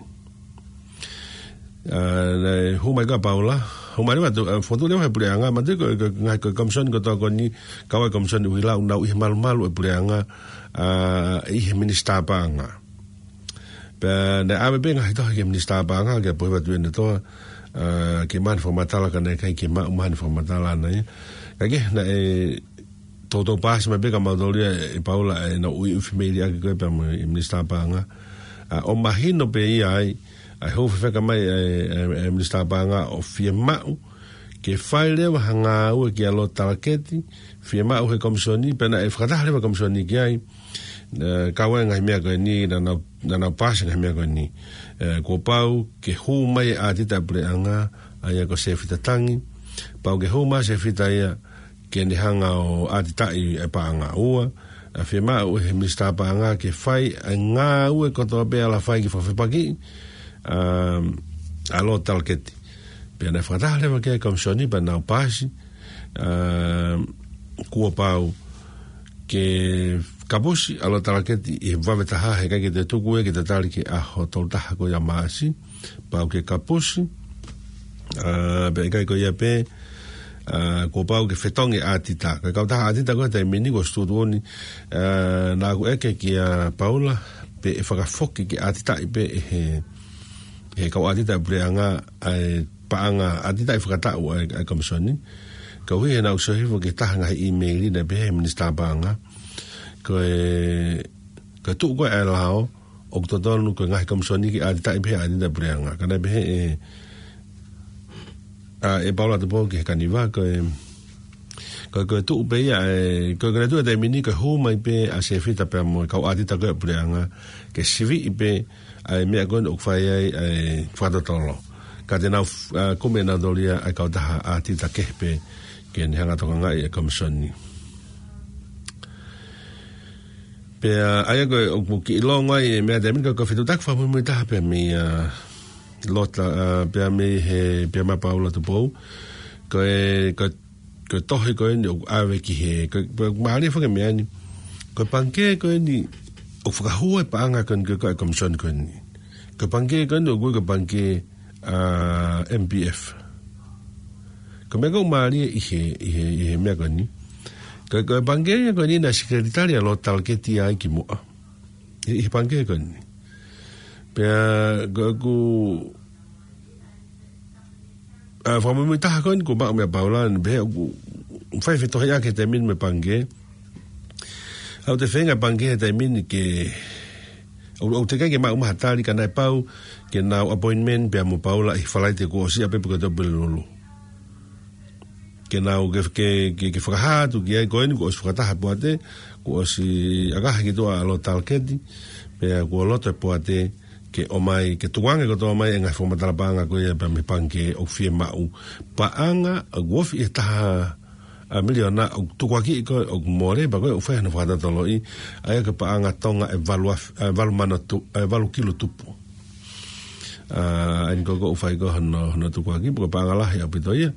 ʻA, naʻe hū mai ko ē ʻa Paula, hū mai leva atu, ʻa, fotu leva he puleʻanga, manatuʻi ko e, ko e, ngaahi ko e komisoni kotoa ko eni, kau ai e komisoni ʻUhilau, nau ʻi he malumalu e puleʻanga, ʻa, ʻi he minisitā paʻanga. Pea naʻe ʻave pē ngaahi tohi ki he minisitā paʻanga, ke pohi atu ʻene toa, ʻa, ke maʻu haʻane fakamatala ka naʻe ʻikai ke maʻu haʻane fakamatala ʻana ia. Ka ko e, naʻe toutou paasi mai pē kia mautolu ia ʻe Paula ʻenau ui ʻufi meili ʻaki ko ē pea mo e minisitā paʻanga. ʻA, ʻo mahino pē ia ai, ʻa e hū fefeka mai e, e, e minisitā paʻanga ʻo fiemaʻu ke fai leva ha ngāue kia Lord Tarakete, fiemaʻu he komisoni, pea naʻe fakataha leva e komisoni ki ai, ʻa, kau ai e ngaahi meʻa ko eni, naʻa nau, naʻa nau paasi e ngaahi meʻa ko eni. ʻA, kuo pau ke hū mai e ʻātita e puleʻanga, ʻa ia ko Sefita Tangi, pau ke hū mai Sefita ia, ke ne hanga ʻo ʻātitaʻi e paʻanga. Ua, ʻa, fiemaʻu ʻe he minisitā paʻanga ke fai e ngāue kotoa pē ʻe ala fai ke fakafepakiʻi, ʻa, ʻa Lord Tarakete. Pea naʻe fakataha leva ki ai e komisoni pea nau paasi, ʻa, kuo pau ke kapusi ʻa Lord Tarakete ʻi he vave taha, he ʻikai ke toe tuku ia ke tatali ki he ʻaho tolu taha ko ia ʻo Maʻasi, pau ke kapusi, ʻa, pea ʻikai ko ia pē, ʻa, kuo pau ke fetongi e ʻātita. Ko e kautaha ʻātita ko ē he taimi ni ko e Situʻutuʻuni, ʻa, naʻá ku ʻeke kia Paula, pe ʻe fakafoki ke ʻātitaʻi pē ʻe he, he kau ʻātita e puleʻanga ʻa e paʻanga ʻātitaʻi fakataʻu ʻa e, ʻa e komisoni. Koeʻuhi he naʻá ku sio hifo ki he taha e ngaahi ʻīmeili naʻe pehē ʻe he minisitā paʻanga, ko e, ko e tuʻu ko ē ʻa e lao, ʻoku totonu ko e ngaahi komisoni ke ʻātitaʻi pē he ʻātita e puleʻanga. Ka naʻe pehē ʻe, ʻa, ʻe Paula Tupou ki he kaniva, ko e, ko e, ko e tuʻu pē ia, ʻe, ko e, ko e tuʻu he taimi ni, ko e hū mai pē ʻa Sefita pea mo e kau ʻātita ko ē e puleʻanga, ke siviʻi pē ʻa e meʻa ko ē ʻoku fai ai ʻa e fakatotolo. Ka te nau, ʻa, kumi ʻe nautolu ia ʻa e kautaha ʻātita kehe pē ke ne hanga ʻo tokangaʻi e komisoni. Pea, ʻa ia ko e, ʻoku kiʻi longo ai e meʻa he taimi ni, ko e, ko e fetuʻutaki fakamuimui taha pē mei, ʻa, Lota, ʻa, pea mei he, pea mei a Paula Tupou. Ko e, ko e, ko e tohi ko eni ʻoku ʻave ki he, ko e, ko e mālie foki e meʻa ni. Ko e pangikē ko eni ʻoku fakahū ai e paʻanga ko eni ko e, ko e komisoni ko eni. Ko e pangikē ko eni ʻoku ui ko e pangikē, ʻa, M P F. Ko e meʻa ʻoku mālie ʻi he, ʻi he, ʻi he meʻa ko eni. Ko e, ko e pangikē ia ko eni naʻe sekelitali ʻa Lord Tarakete ia ai kimuʻa. ʻI, ʻi he pangikē ko eni. Pea, ko ʻeku, ʻa, fakamuimui taha ko eni kuo maʻu mei a Paula, naʻe pehē ʻoku fai fetohiʻaki he taimi ni mo e pangikē. ʻOku toe feinga e pangikē he taimi ni ke, ʻo, ʻoku teʻeki ai ke maʻu mai ha tali ka naʻe pau ke nau appointment pea mo Paula ʻi he Falaite kuo ʻosi ʻapē pe ko e Tuʻapulelulu. Ke nau ke, ke, ke, ke fakahā atu ki ai ko eni kuo ʻosi fakataha e poate, kuo ʻosi ʻakaha ki tuʻa ʻa Lord Tarakete, pea kuo loto e poate ke ʻomai, ke tukuange kotoa mai e ngaahi fakamatala paʻanga ko ia pea mei he pangikē ʻoku fiemaʻu. Paʻanga ʻoku ofi ʻi he taha miliona ʻoku tukuakiʻi ko ē ʻoku mole, pea ko ē ʻoku fai hono fakatotoloʻi, ʻa ia ko e paʻanga Tonga ʻe valu af-, ʻe valu mano tu-, ʻe valu kilo tupu. ʻA ia ko ē ʻoku fai ko ē hono, hono tukuakiʻi, pea ko e paʻanga lahi ʻaupito ia,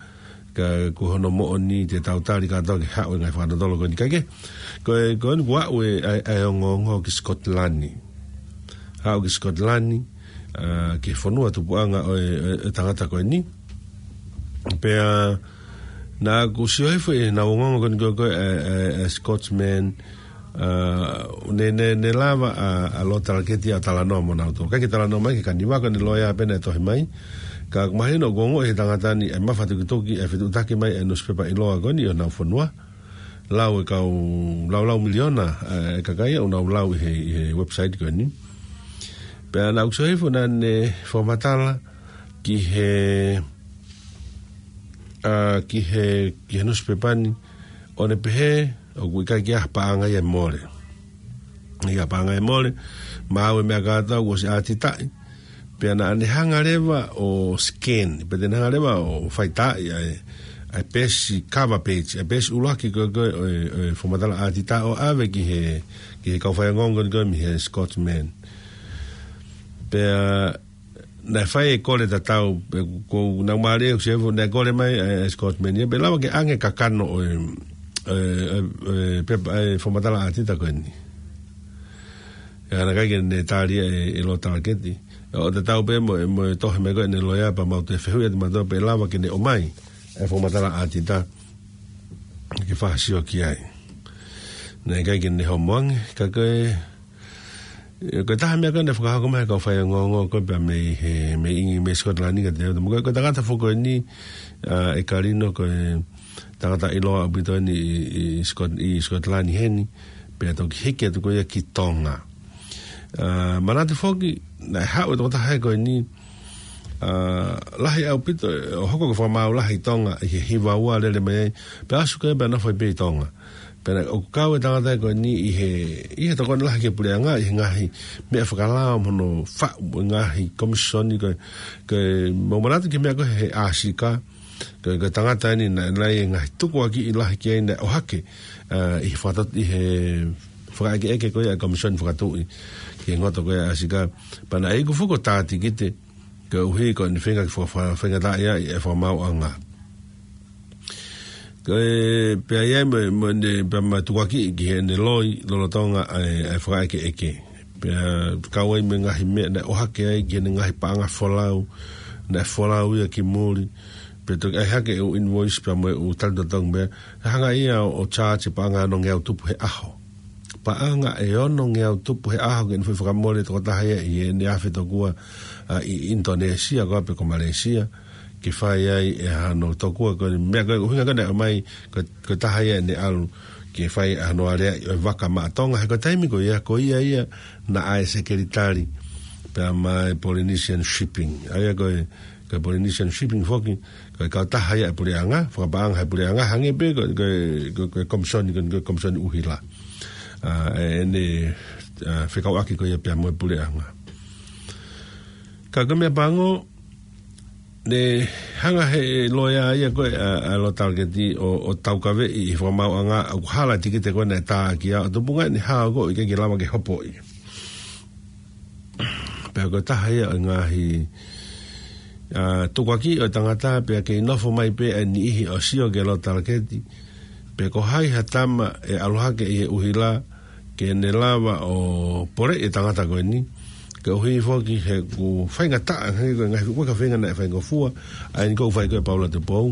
ka ko hono moʻoni te tau tali kātoa ke haʻu e ngaahi fakatotolo ko eni. Kae kehe, ko e, ko eni kuo aʻu e, ʻa e, ʻa e ongoongo ki Scotland. Haʻu ki Scotland, ʻa, ki he fonua tupuʻanga ʻo e, e, e tangata ko eni. Pea naʻá ku sio hifo ʻi heʻenau ongoongo ko eni ko ē, ʻa e, ʻa e, ʻa e Scotsman, ʻa, ne, ne, ne lava ʻa, ʻa Lord Talaketi ʻo talanoa mo nautolu. ʻIkai ke talanoa mai ki he kaniva, ko ʻene loea pē naʻe tohi mai. Ka ʻoku mahino ʻoku ongoʻi ʻe he tangata ni e mafatukituki e fetuʻutaki mai e nusipepa ʻiloa ko eni ʻo honau fonua. Lau e kau, laulau miliona, ʻa, e kakai ʻoku nau lau ʻi he, ʻi he website ko eni. Pea naʻá ku sio hifo naʻá ne fakamatala ki he, ʻa, ki he, ki he nusipepa ni, ʻo ne pehē ʻoku ʻikai ke ʻi ai ha paʻanga ia ʻe mole. ʻIkai ha paʻanga ʻe mole, maʻu e meʻa kātoa kuo ʻosi ʻātitaʻi. Pea naʻá ne hanga leva ʻo scan, pea te ne hanga leva ʻo faitaaʻi ʻa e, ʻa e peesi cover page, ʻa e peesi ʻuluaki ko ē, ko ē ʻo e, ʻo e fakamatala ʻātita ʻo ʻave ki he, ki he kau faiongoongo ko eni ko ē mei he Scotsman. Pea naʻe fai e kole tatau, pea ko ʻenau mālie ʻoku sio hifo naʻe kole mai ʻa e, ʻa e Scotsman ia, pe ʻe lava ke ʻoange e kakano ʻo e, ʻo e, ʻo e, ʻo e pepa, ʻa e fakamatala ʻātita ko eni. ʻA ia naʻe ʻikai ke ne tali ia ʻe, ʻe Lord Talaketi. ʻO tatau pē mo, mo e tohi mai ko ē ʻene loea pea mau toe fehuʻi atu mautolu pe ʻe lava ke ne ʻomai e fakamatala ʻātita ke fakasio ki ai. Naʻe ʻikai ke ne homo ange, ka ko e, ʻe, ko e taha meʻa ko ē naʻe fakahoko mai ʻe he kau faiongoongo ko ē pea mei he, mei ʻIngi-, mei Scotland ka te, mo ko e, ko e tangata foki ko eni, ʻa, ʻe Kalino ko e tangata ʻiloa ʻaupito eni ʻi, ʻi Scot-, ʻi Scotland heni, pea toki hiki atu ko ia ki Tonga. ʻA, manatu foki, naʻe haʻu e tokotaha ko eni, ʻa, lahi ʻaupito, ʻo hoko ko e fakamaau lahi ʻi Tonga, ʻi he hiva ua lele mai ai, pea ʻasu ko ē pea nofo ai pē ʻi Tonga. Pea naʻe ʻoku kau e tangata ko eni ʻi he, ʻi he tokoni lahi ki he puleʻanga, ʻi he ngaahi meʻa fakalao mo hono faʻu e ngaahi komisoni ko ē, ko e mau manatu ki he meʻa ko ē he ʻAsika, ko e, ko e tangata eni naʻe, naʻe ʻi ai e ngaahi tukuakiʻi lahi ki ai naʻe ʻohake, ʻa, ʻi he fakatot-, ʻi he fakaʻekeʻeke ko ia ʻa e Komisoni Fakatuʻi ki he ngoto ko ia ʻa ʻAsika. Pea naʻe iku foki ʻo tā tikite, koeʻuhi ko ʻene feinga ke faka-, faka-, faingataʻaʻia ʻi he fakamaauʻanga. Ko e, pea ʻi ai mo, mo ʻene, pea ma tukuakiʻi ki heʻene loi lolotonga ʻa e, ʻa e fakaʻekeʻeke. Pea kau ai mo e ngaahi meʻa naʻe ʻohake ai ki heʻene ngaahi paʻanga folau, naʻe folau ia ki muli. Pea toki ʻai hake e ʻū invoice pea mo e ʻū talitotongi pea, hanga ia ʻo, ʻo charge e paʻanga ʻe ono ngeau tupu he ʻaho. Paʻanga ʻe ono ngeau tupu he ʻaho ke ne foʻi fakamole tokotaha ia ʻi heʻene afe tokua, ʻa, ʻi ʻInitonēsia ko ē pe ko Malaysia, ke fai ai ʻe hano tokua ko e meʻa ko e ʻuhinga ko ē naʻe ʻomai, ko, ko e taha ia ʻene ʻalu ke fai ʻa hono aleaʻi ʻo e vaka maʻa Tonga, he ko e taimi ko ia, ko ia ia naʻe ʻi ai e sekelitali pea mo e Polynesian Shipping. ʻA ia ko e, ko e Polynesian Shipping foki, ko e kautaha ia ʻa e puleʻanga, fakapaʻanga ʻe he puleʻanga, hangē pē ko, ko, ko, ko e komisoni, ko, ko e komisoni ʻuhila. ʻA, ʻe, ʻene, ʻa, fekauʻaki ko ia pea mo e puleʻanga. Ka ko e meʻa pango, ne hanga ʻe he loea ia ko ē ʻa, ʻa Lord Talaketi ʻo, ʻo taukaveʻi ʻi he fakamaauʻanga ʻoku hala e tikite ko ē naʻe tā ki ai, ʻo tupunga ʻene hao ko ē ʻikai ke lava ke hopoʻi. Pea ko e taha ia ʻo e ngaahi, ʻa, tukuakiʻi ʻo e tangata pea kei nofo mai pē ʻa e niʻihi ʻo sio kia Lord Talaketi. Pea ko hai ha tama ʻe ʻalu hake ʻi he ʻuhila ke ne lava ʻo poleʻi e tangata ko eni. Koeʻuhi foki he ʻoku faingataʻa, he ko e ngaahi fuʻu ka feinga naʻe faingofua, ʻa eni ʻoku fai ko ē ʻe Paula Tupou,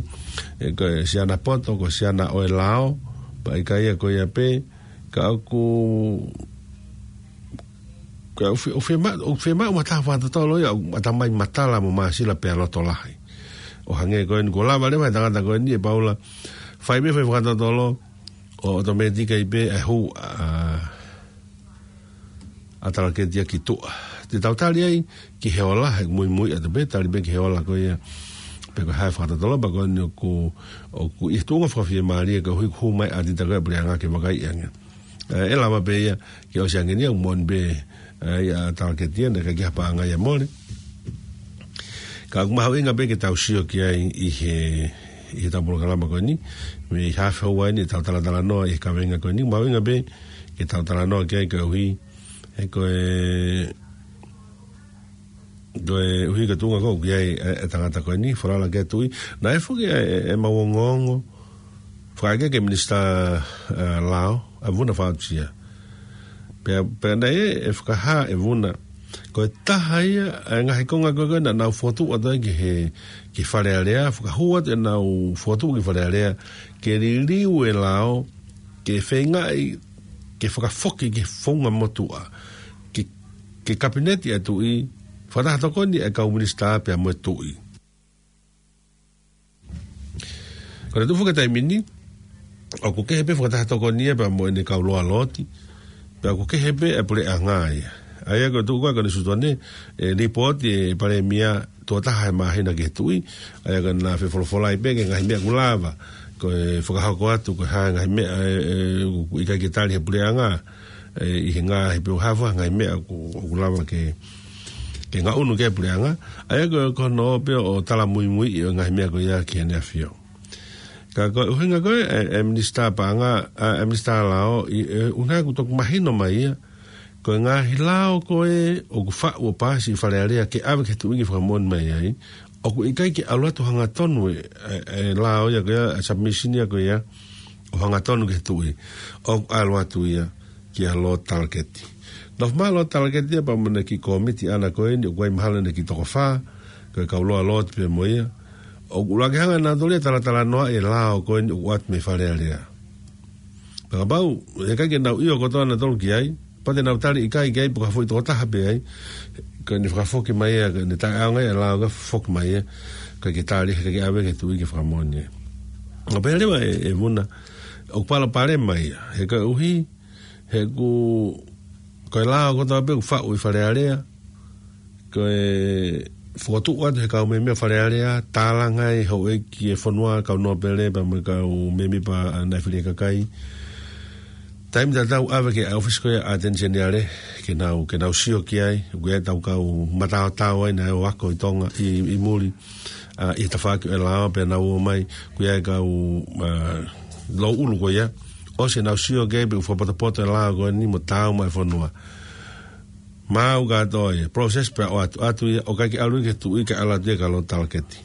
ʻe ko e siana poto, ko e siana ʻo e lao, pea ʻikai ia ko ia pē, ka ʻoku, ka ʻoku fie-, ʻoku fiema-, ʻoku fiemaʻu mo ha taha fakatotolo ia, ʻoku ʻatamai matala mo māsila pea loto lahi. ʻO hangē ko eni kuo lava leva ʻe he tangata ko eni ʻe Paula, fai pē foʻi fakatotolo, ʻo ʻotomētikaʻi pē ʻa e hū ʻa, ʻa Talaketi ia ki tuʻa. Te tau tali ai ki he ola, he muimui atu pē, tali pē ki he ola ko ia. Pe ko e hā e fakatotolo, pea ko eni ʻoku, ʻoku ʻi he tuʻunga fakafiemālie koeʻuhi ʻoku hū mai ʻa e ʻatita ko ē ʻa e puleʻanga ke vakaiʻi ange. ʻE, ʻe lava pē ia ke ʻosi ange ni ʻa e moʻoni pē, ʻe, ʻa e talaketi ia, naʻe ʻikai ke ʻi ai ha paʻanga ia ʻe mole. Ka ʻoku mahuʻinga pē ke tau sio ki ai ʻi he, ʻi heʻetau polokalama ko eni, mei he haafe houa ni ʻetau talatalanoa ʻi he kaveinga ko eni, mahuʻinga pē ke tau talanoa ki ai koeʻuhi, he ko e, koeʻuhi ko e tuʻunga ko ē ʻoku ʻi ai e, e tangata ko eni, falala ki he tuʻi. Naʻe foki ʻa e, e, ʻemau ongoongo fakaʻekeʻeke minisitā, ʻe, lao, ʻa Vuna Faʻautia. Pea, pea naʻe, ʻe fakahā ʻe Vuna, ko e taha ia ʻa e ngaahi konga ko ē naʻa nau fokotuʻu atu ai ki he, ki Fale Alea, fakahū atu ʻenau fokotuʻu ki Fale Alea, ke liliu e lao, ke feingaʻi, ke fakafoki ki he founga motuʻa, ke, ke kapineti ʻa e tuʻi, fakataha tokoni ʻa e kau minisitā pea mo e tuʻi. Ko e tuʻu foki taimi ni, ʻoku kehe pē fakataha tokoni ia pea mo ʻene kau loa looti, pea ʻoku kehe pē ʻa e puleʻanga ia. ʻA ia ko e tuʻu ko ē ʻa Konisitūtone, ʻe lipooti ʻe he Palēmia tuʻo taha he māhina ki he tuʻi, ʻa ia ko ʻena fefolofola ai pē ki he ngaahi meʻa ʻoku lava, ko e fakahoko atu, ko e hā e ngaahi meʻa, ʻe, ʻe, ʻoku ʻikai ke tali he puleʻanga, ʻe, ʻi he ngaahi peu hava, ngaahi meʻa ʻoku, ʻoku lava ke, ke ngaʻunu ki ai e puleʻanga, ʻa ia ko e, ko hono ō pē ʻo talamuimuiʻi ʻo e ngaahi meʻa ko ia ki heʻene ʻafio. Ka ko e ʻuhinga ko ē, ʻe, ʻe minisitā paʻanga, ʻa, ʻe minisitā lao, ʻi, ʻe, ʻuhinga ʻoku toki mahino mai ia, ko e ngaahi lao ko ē ʻoku faʻu ʻo paasi ʻi Fale Alea ke ʻave ki he tuʻi ke fakamoʻoni mai ai, ʻoku ʻikai ke ʻalu atu hangatonu e, e, e lao ia ko ia, e submission ia ko ia, ʻo hangatonu ki he tuʻi, ʻoku ʻalu atu ia kia Lord Talaketi. Nofo mai Lord Talaketi ia pea mo ʻene kiʻi kōmiti ʻaʻana ko eni, ʻoku ʻi ai mahalo ʻene kiʻi toko fā, ko e kau loa looti pē mo ia. ʻOku ʻuluaki hanga ʻe nautolu ia ʻo talatalanoaʻi e lao ko eni ʻoku ʻoatu mei Fale Alea. Pea kapau, he ʻikai ke nau ʻio kotoa nautolu ki ai, pea te nau tali ʻikai ki ai, pe ko ha foʻi tokotaha pē ai, ko ʻene fakafoki mai ia, ko ʻene taʻeʻaonga ia e lao ka foki mai ia, ʻikai ke tali, ʻikai ke ʻave ki he tuʻi ke fakamoʻoni ia. ʻO pehē leva ʻe, ʻe Vuna, ʻoku palopalema ia, he koeʻuhi, he ʻoku, ko e lao kotoa pē ʻoku faʻu ʻi Fale Alea, ko e fokotuʻu atu he kau mēmipa Fale Alea, tālanga ʻe he houʻeiki e fonua, kau nōpele pea mo e kau mēmipa naʻe fili ʻe he kakai. Taimi tatau ʻave ki he ʻōfisi ko ia ʻa e ʻAteni Seniale, ke nau, ke nau sio ki ai, ʻoku ʻi ai ʻetau kau mataotao ai naʻe ō ʻo ako ʻi Tonga, ʻi, ʻi muli, ʻa, ʻi he tafaʻaki ʻo e lao pea nau ō mai, ʻoku ʻi ai e kau, ʻa, louʻulu ko ia, ʻosi ʻenau sio ki ai pe ʻoku fakapotopoto e lao ko eni mo taau maʻa e fonua. Maʻu kātoa ia, process pea ʻoatu, ʻoatu ia, ʻoku ʻikai ke ʻalu ia ki he tuʻi kae ʻalu atu ia kia Lord Talaketi.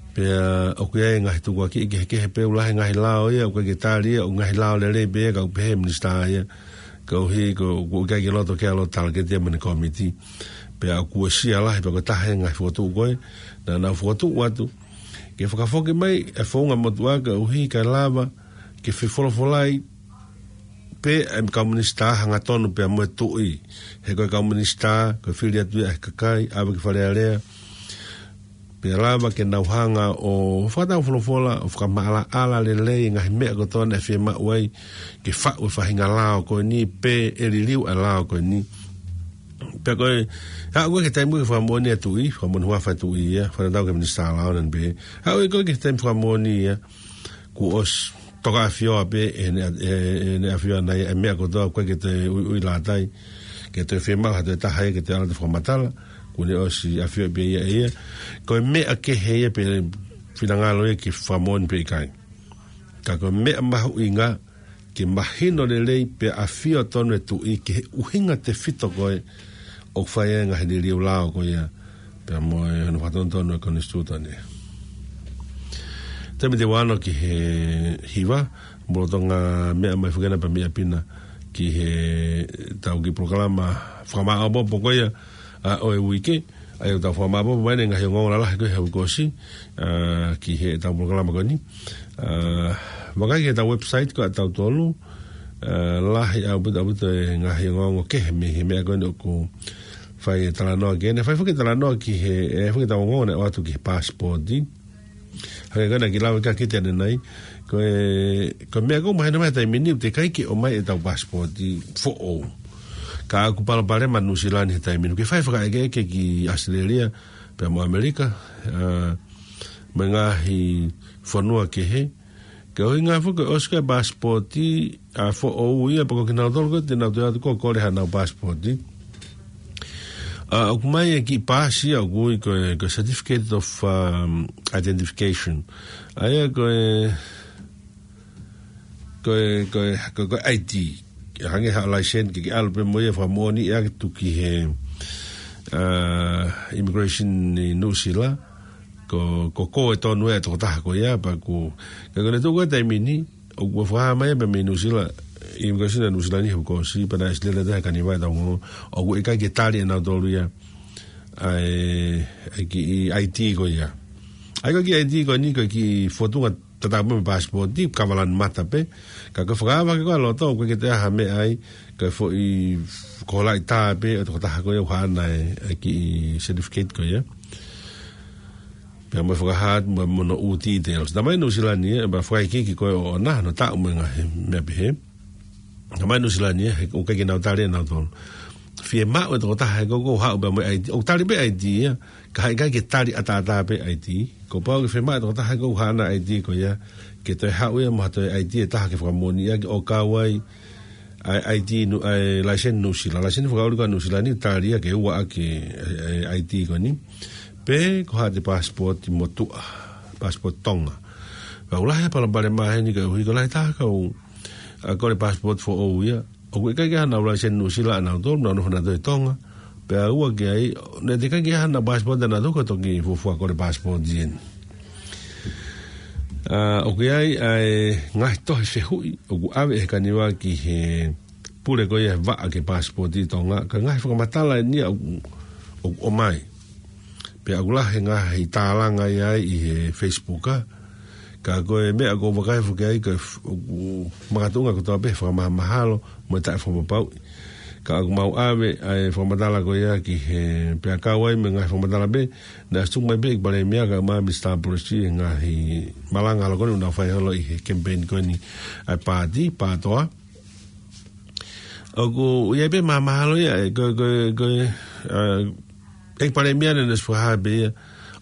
Pea ʻoku ʻi ai e ngaahi tukuakiʻi kehekehe pea ʻoku lahi e ngaahi lao ia, ʻoku ʻikai ke tali ia, ʻoku ngaahi lao lelei pē ia, ka ʻoku pehē ʻe he minisitā ia, koeʻuhi ko, ʻoku ʻikai ke loto ke ʻalu ʻo talaketi ia mo ʻene kōmiti. Pea ʻoku uesia lahi pea ko e taha e ngaahi fokotuʻu ko ē, naʻa nau fokotuʻu atu, ke fakafoki mai e founga motuʻa koeʻuhi kae lava ke fefolofolai pē e kau minisitā hangatonu pea mo e tuʻi. He ko e kau minisitā, ko e fili atu ia ʻe he kakai, ʻave ki Fale Alea. Pea lava ke nau hanga ʻo fakatau folofola, ʻo fakamaʻalaʻala lelei e ngaahi meʻa kotoa naʻe fiemaʻu ai ke faʻu e faʻahinga lao ko eni pe ʻe liliu e lao ko eni. Pea ko e, haʻu ko ē ki he taimi ko ē ke fakamoʻoni e tuʻi, fakamoʻoni huafa e tuʻi ia, fakatatau ki he minisitā lao naʻa ne pehē. Haʻu ko ē ki he taimi fakamoʻoni ia, kuo ʻosi toka ʻafioʻi pē ʻe heʻene, ʻe, ʻe heʻene ʻafioʻanga ia e meʻa kotoa, ʻoku ʻikai ke toe ui, ui lātai, ke toe fiemaʻu ha toe taha ia ke toe ʻalu atu ʻo fakamatala, kuo ne ʻosi ʻafioʻi pē ia ʻe ia. Ko e meʻa kehe ia pe finangalo ia ke fakamoʻoni pe ʻikai. Ka ko e meʻa mahuʻinga ke mahino lelei pea ʻafio tonu e tuʻi ki he ʻuhinga tefito ko ē ʻoku fai ai e ngaahi liliu lao ko ia pea mo e hono fakatonutonu e Konisitūtone. Taimi te u ʻalu ki he hiva, mou lolotonga meʻa mai foki ena pea meʻa pē ena ki heʻetau kiʻi polokalama fakamāʻopoʻopo ko ia, ʻa, ʻo e uike, ʻa ia ʻoku tau fakamāʻopoʻopo mai ʻene ngaahi ongoongo lalahi ko ē he uike kuo ʻosi, ʻa, ki heʻetau polokalama ko eni. ʻA, vakai ki heʻetau website ko ē ʻatautolu, ʻa, lahi ʻaupito ʻaupito e ngaahi ongoongo kehe mei he meʻa ko eni ʻoku fai e talanoa ki ai. Naʻe fai foki e talanoa ki he, ʻe, foki ʻetau ongoongo naʻe ʻoatu ki he passport. Hangē ko ena kiʻi lave ka kiʻi ʻanenai. Ko e, ko e meʻa ʻoku mahino mai he taimi ni ʻoku teʻeki ai ke ʻomai ʻetau passport foʻou. Ka ʻoku palopalema Nuʻusila ni he taimi ni. Ke fai fakaʻekeʻeke ki ʻAositelēlia, pea mo ʻAmelika, ʻa, mo e ngaahi fonua kehe, Ko e ʻuhinga foki ko e ʻosi ko ē passport ʻa e foʻou ia, pea ko kinautolu ko ē te nau toe ʻatu ko ē ʻo kole haʻanau passport. ʻA, ʻoku ʻomai e kiʻi paasi ia ʻoku ui ko e, ko e certificate of, um, identification. ʻA ia ko e, ko e, ko e, ko e, ko e I D. Hangē ha license ke, ke ʻalu pē mo ia ʻo fakamoʻoni ʻaki tuku ki he, ʻa, immigration ʻi Nuʻusila. Ko, ko, ko e tonu e tokotaha ko ia, pea ko, ka ko e tuku e taimi ni, ʻoku fakahā mai pē mei Nuʻusila, immigration ʻa Nuʻusila ni he kuo ʻosi, pea naʻe ʻosi lele atu he kaniva ʻe taha ongo, ʻoku ʻikai ke tali ʻe nautolu ia ʻa e, ʻa e kiʻi I D ko ia. ʻA ia ko e kiʻi I D ko eni ko e kiʻi fotunga tatau pē mo e passport, ʻi he kava lanu mata pē, ka ko e fakaava ke ko e loto, ʻoku ʻikai ke toe ʻi ai ha meʻa ai, ko e foʻi kolaʻi tā pē ʻo e tokotaha ko ia ʻoku haʻana e, e kiʻi certificate ko ia. Pea mo e fakahā atu mo, mo hono ʻū details. Talamai ʻe Nuʻusila ni, ʻe, pea fakaikiiki ko ē ʻoʻona, hono taʻu mo e ngaahi meʻa pehē. Talamai ʻe Nuʻusila ni, he ʻoku ʻikai ke nau tali ʻe nautolu. Fiemaʻu e tokotaha he ko ē ʻoku haʻu pē mo e I D. ʻOku tali pē I D ia, ka heʻikai ke tali ʻataʻatā pē I D. Kuo pau ke fiemaʻu e tokotaha he ko ē ʻoku haʻana I D ko ia, ke toe haʻu ia mo ha toe I D ʻe taha ke fakamoʻoni ʻaki ʻo kau ai ʻa e I D Nu-, ʻa e license Nuʻusila. License fakaʻuli ko ē ʻa Nuʻusila ni tali ia ke ua ʻaki e, e I D ko eni. Pe ko haʻate passport motuʻa, passport Tonga. Pea ʻoku lahi e palopalema heni koeʻuhi ko e lahi taha e kau, ʻa, kole passport foʻou ia. ʻOku ʻikai ke ʻi ai haʻanau license Nuʻusila ʻanautolu, nau nofo nautolu ʻi Tonga. Pea ua ki ai, naʻe teʻeki ai ke ʻi ai haʻanau passport ʻanautolu ko e toki fuofua kole passport eni. ʻA, ʻoku ʻi ai ʻa e ngaahi tohi fehuʻi ʻoku ʻave ʻe he kaniva ki he pule ko ia he vaʻa ki he passport ʻi Tonga, ka ko e ngaahi fakamatala eni ia ʻoku, ʻoku ʻomai. Pea ʻoku lahi e ngaahi tālanga ia ʻi he Facebook, ʻa. Ka ko e meʻa ʻoku ou vakai foki ai ko e f-, ʻoku makatuʻunga kotoa pē he fakamahamahalo mo e taʻefakapapauʻi. Ka ʻoku mau ʻave ʻa e fakamatala ko ia ki he, pea kau ai mo e ngaahi fakamatala pē naʻe ʻosi tuku mai pē ʻe he Palēmia kae ʻumaʻā Minisitā Polisi he ngaahi malanga holo ko eni ʻoku nau fai holo ʻi he campaign ko eni ʻa e paati, PATOA. ʻOku ʻi ai pē mahamahalo ia, ʻe, ko, ko, ko, ʻa, ʻe he Palēmia naʻe ʻosi fakahā pē ia,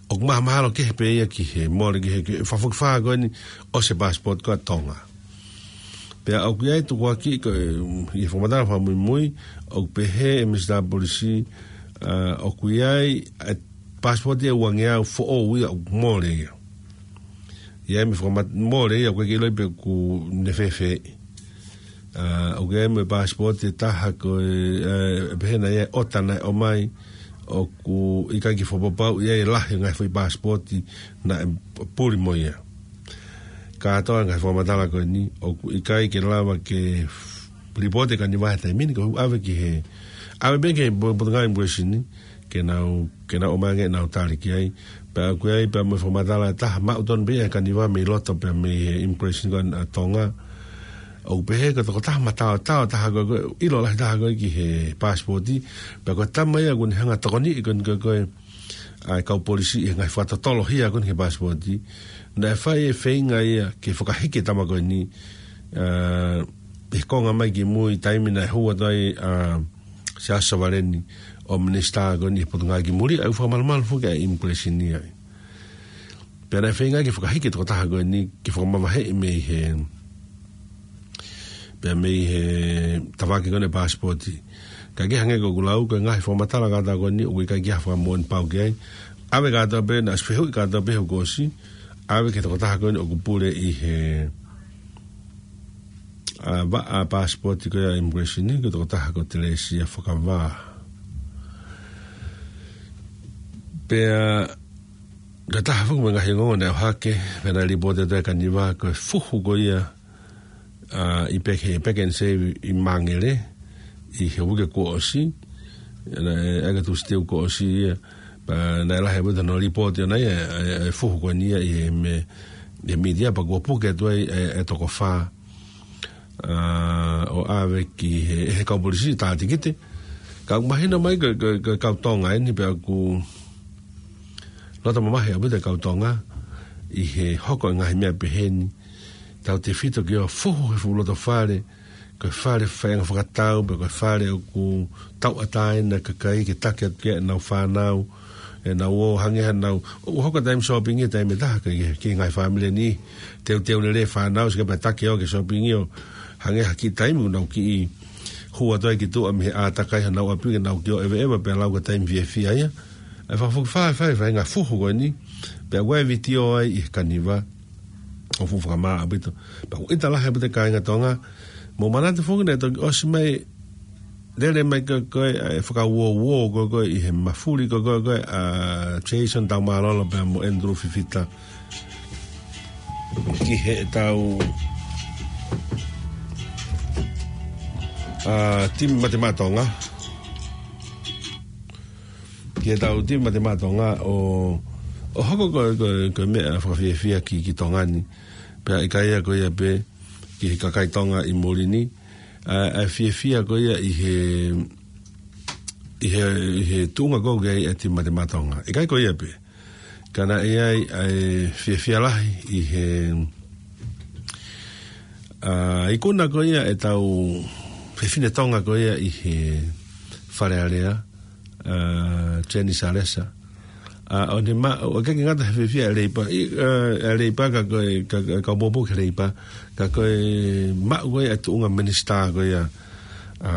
ʻoku mahamahalo kehe pē ia ki he mole ki he, ki he fakafokifā ko eni ʻo e passport ko ē ʻa Tonga. Pea ʻoku ʻi ai e tukuakiʻi ko e, ʻi he fakamatala fakamuimui, ʻoku pehē ʻe he Minisitā Polisi, ʻa, ʻoku ʻi ai e passport ʻe uangeau foʻou ia ʻoku mole ia. ʻI ai mo e fakamat-, mole ia ʻoku ʻikai ke ʻiloʻi pe ʻoku ne fēfē. ʻA, ʻoku ʻi ai mo e passport ʻe taha ko e, ʻe, pehē naʻe ʻi ai e ʻota naʻe ʻomai ʻoku ʻikai ke fakapapauʻi ʻe lahi e ngaahi foʻi passport naʻe puli mo ia. Kātoa e ngaahi fakamatala ko eni, ʻoku ʻikai ke lava ke f-, lipooti ʻe he kaniva he taimi ni, ko e ʻave ki he, ʻave pē ki he po-, Potungāue Immigration ni, ke nau, ke nau ʻomai ange ʻenau tali ki ai. Pea ʻoku ʻi ai pē mo e fakamatala ʻe taha, maʻu tonu pē ia ʻe he kaniva mei loto pea mei he immigration ko ē ʻa Tonga. ʻOku pehē ko e tokotaha mataotao taha ko ē, ko e ʻilo lahi taha ko ē ki he passport. Pea ko e tama ia ʻoku ne hanga ʻo tokoniʻi ko ē, ko e, ko e, ʻa e kau polisi ʻi he ngaahi fakatotolo hia ko ē ki he passport. Naʻe fai e feinga ia ke fakahiki e tama ko eni, ʻa, ʻi he konga mai ki mui taimi naʻe hū atu ai, ʻa, Siaosi Savaleni ʻo minisitā ko eni ʻi he Potungāue ki Muli, ʻa ia ʻoku fakamalumalu foki ʻa e immigration ia. Pea naʻe feinga ke fakahiki e tokotaha ko eni ke fakamavaheʻi mei he, pea mei he tavake ko eni e passport. Ka ke hangē ko ʻeku lau, ko e ngaahi fakamatala kātoa ko eni ʻoku ʻikai ke ʻi ai ha fakamoʻoni pau ki ai. ʻAve kātoa pē, naʻe ʻosi fehuʻi kātoa pē he kuo ʻosi. ʻAve ki he tokotaha ko eni ʻoku pule ʻi he ʻa, vaʻa passport ko ia ʻa e immigration ni, ko e tokotaha ko Telesia Fakavā. Pea, ko e taha foki mo e ngaahi ongoongo naʻe ʻohake, pea naʻe lipooti atu ʻe he kaniva, ko e fuhu ko ia, ʻa, ʻi Pek-, he Pack and Save ʻi Māngere, ʻi he uike kuo ʻosi, naʻe, ʻa ia ko e Tūsite kuo ʻosi ia, pea naʻe lahi ʻaupito hono lipooti ʻona ia, ʻa e, ʻa e fuhu ko eni ia ʻi he me-, ʻi he media, pea kuo puke atu ai e, e toko fā, ʻa, ʻo ʻave ki he, he kau polisi tā tikite. Ka ʻoku mahino mai ko e, ko e, ko e kau Tonga eni pea ʻoku loto mamahi ʻaupito e kau Tonga ʻi he hoko e ngaahi meʻa pehē ni. Tautefito ki hoʻo fuhu he fuʻu loto fale, ko e fale faiʻanga fakatau, pe ko e fale ʻoku tauʻatāina e kakai ke taki atu ki ai ʻenau fānau, ʻenau ō hangē ha nau, ʻoku hoko taimi shopping he taimi ʻe taha ki, ki he ngaahi fāmili ni. Teuteu lelei e fānau, sio ki he pea taki ʻo ke shopping ʻo hangē ha kiʻi taimi ʻoku nau kiʻi hū atu ai ki tuʻa mei he ʻātakai honau ʻapi ke nau kiʻi ō ʻeveʻeva pea lau ka taimi fiefia ia. ʻE fakafokifā e fai, fai ngaahi fuhu ko eni. Pea ʻoku ʻi ai e vitiō ai ʻi he kaniva. ʻOku fuʻu fakamāʻopoʻopo ʻaupito. Pea ʻoku ʻita lahi ʻaupito e kāinga Tonga. Mou manatu foki naʻe toki ʻosi mai, lele mai ko ē, ko ē, ʻa e fakauouo ko ē, ko ē, ʻi he mafuli ko ē, ko ē, ko ē, ʻa Jason Taumālolo pea mo Andrew Fifita. Ki heʻetau, ʻa, timi Mate Maʻa Tonga. Ki heʻetau timi Mate Maʻa Tonga ʻo, ʻo hoko ko ē, ko ē, ko e meʻa fakafiefia ki, ki Tonga ni. Pea ʻikai ia ko ia pē ki he kakai Tonga ʻi muli ni, ʻa, ʻa e fiefia ko ia ʻi he, ʻi he, ʻi he tuʻunga ko ē ʻa e timi Mate Maʻa Tonga. ʻIkai ko ia pē. Ka naʻe ʻi ai ʻa e fiefia lahi ʻi he, ʻa, ikuna ko ia ʻetau fefine Tonga ko ia ʻi he Fale Alea, ʻa, Jenny Salesa. ʻA, ʻo ne ma-, ʻo ʻikai ke ngata he fiefia ʻa e Leipa, ʻi, ʻa, ʻa e Leipa ka ko e, ka, ka, ka poupou ki he Leipa, ka ko e maʻu ko ia e tuʻunga minisitā ko ia, ʻa,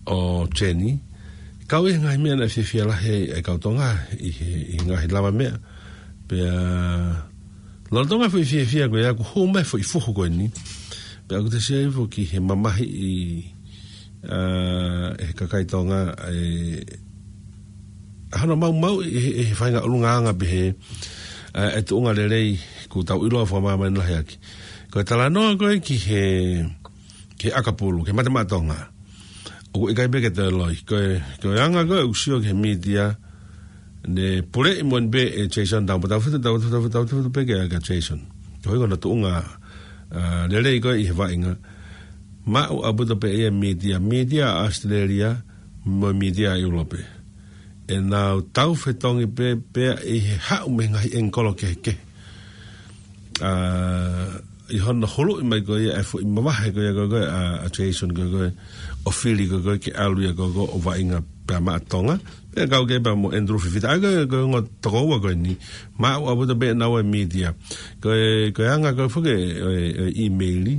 ʻo Jenny. Kau ʻi he ngaahi meʻa naʻe fiefia lahi ai e kau Tonga ʻi he, ʻi he ngaahi lavameʻa. Pea, lolotonga e foʻi fiefia ko ia, ʻoku hū mai e foʻi fuhu ko eni. Pea ʻoku te sio ai foki he mamahiʻi, ʻa, ʻe he kakai Tonga, ʻe, ʻa hono maumauʻi ʻe he, ʻe he faʻahinga ʻulungaanga pehē, ʻa, e tuʻunga lelei kuo tau ʻiloa fakamāmani lahi ʻaki. Ko e talanoa ko ē ki he, ki he ʻakapulu, ki he Mate Maʻa Tonga. ʻOku ʻikai pē ke toe loi. Ko e, ko e anga ko ē ʻoku sio ki he mītia, ne puleʻi moʻoni pē ʻe Jason Taumālolo, tau fitu, tau, tau, tau, tau fitu pē ki he, ki he Jason. Ko hono tuʻunga, ʻa, lelei ko ē ʻi he vaʻinga. Maʻu ʻaupito pē ia e mītia, mītia ʻa ʻAositelēlia, mo e mītia ʻa ʻIulope. ʻEnau tau fetongi pē, pea ʻi he haʻu mei he ngaahi ʻengikolo kehekehe. ʻA, ʻi hono huluʻi mai ko ia e foʻi mavahe ko ia ko ē, ko ē, ʻa, ʻa Jason ko ē, ko ē, ʻo fili ko ē, ko ē, ke ʻalu ia ko ē, ko ē, ʻo vaʻinga pea maʻa Tonga. Pea kau ki ai pea mo Andrew Fifita. ʻA ia ko ē, ko e ongo tokoua ko eni. Maʻu ʻaupito pē ʻenau ō e mītia. Ko e, ko e anga ko ē foki e, e, e ʻīmeili.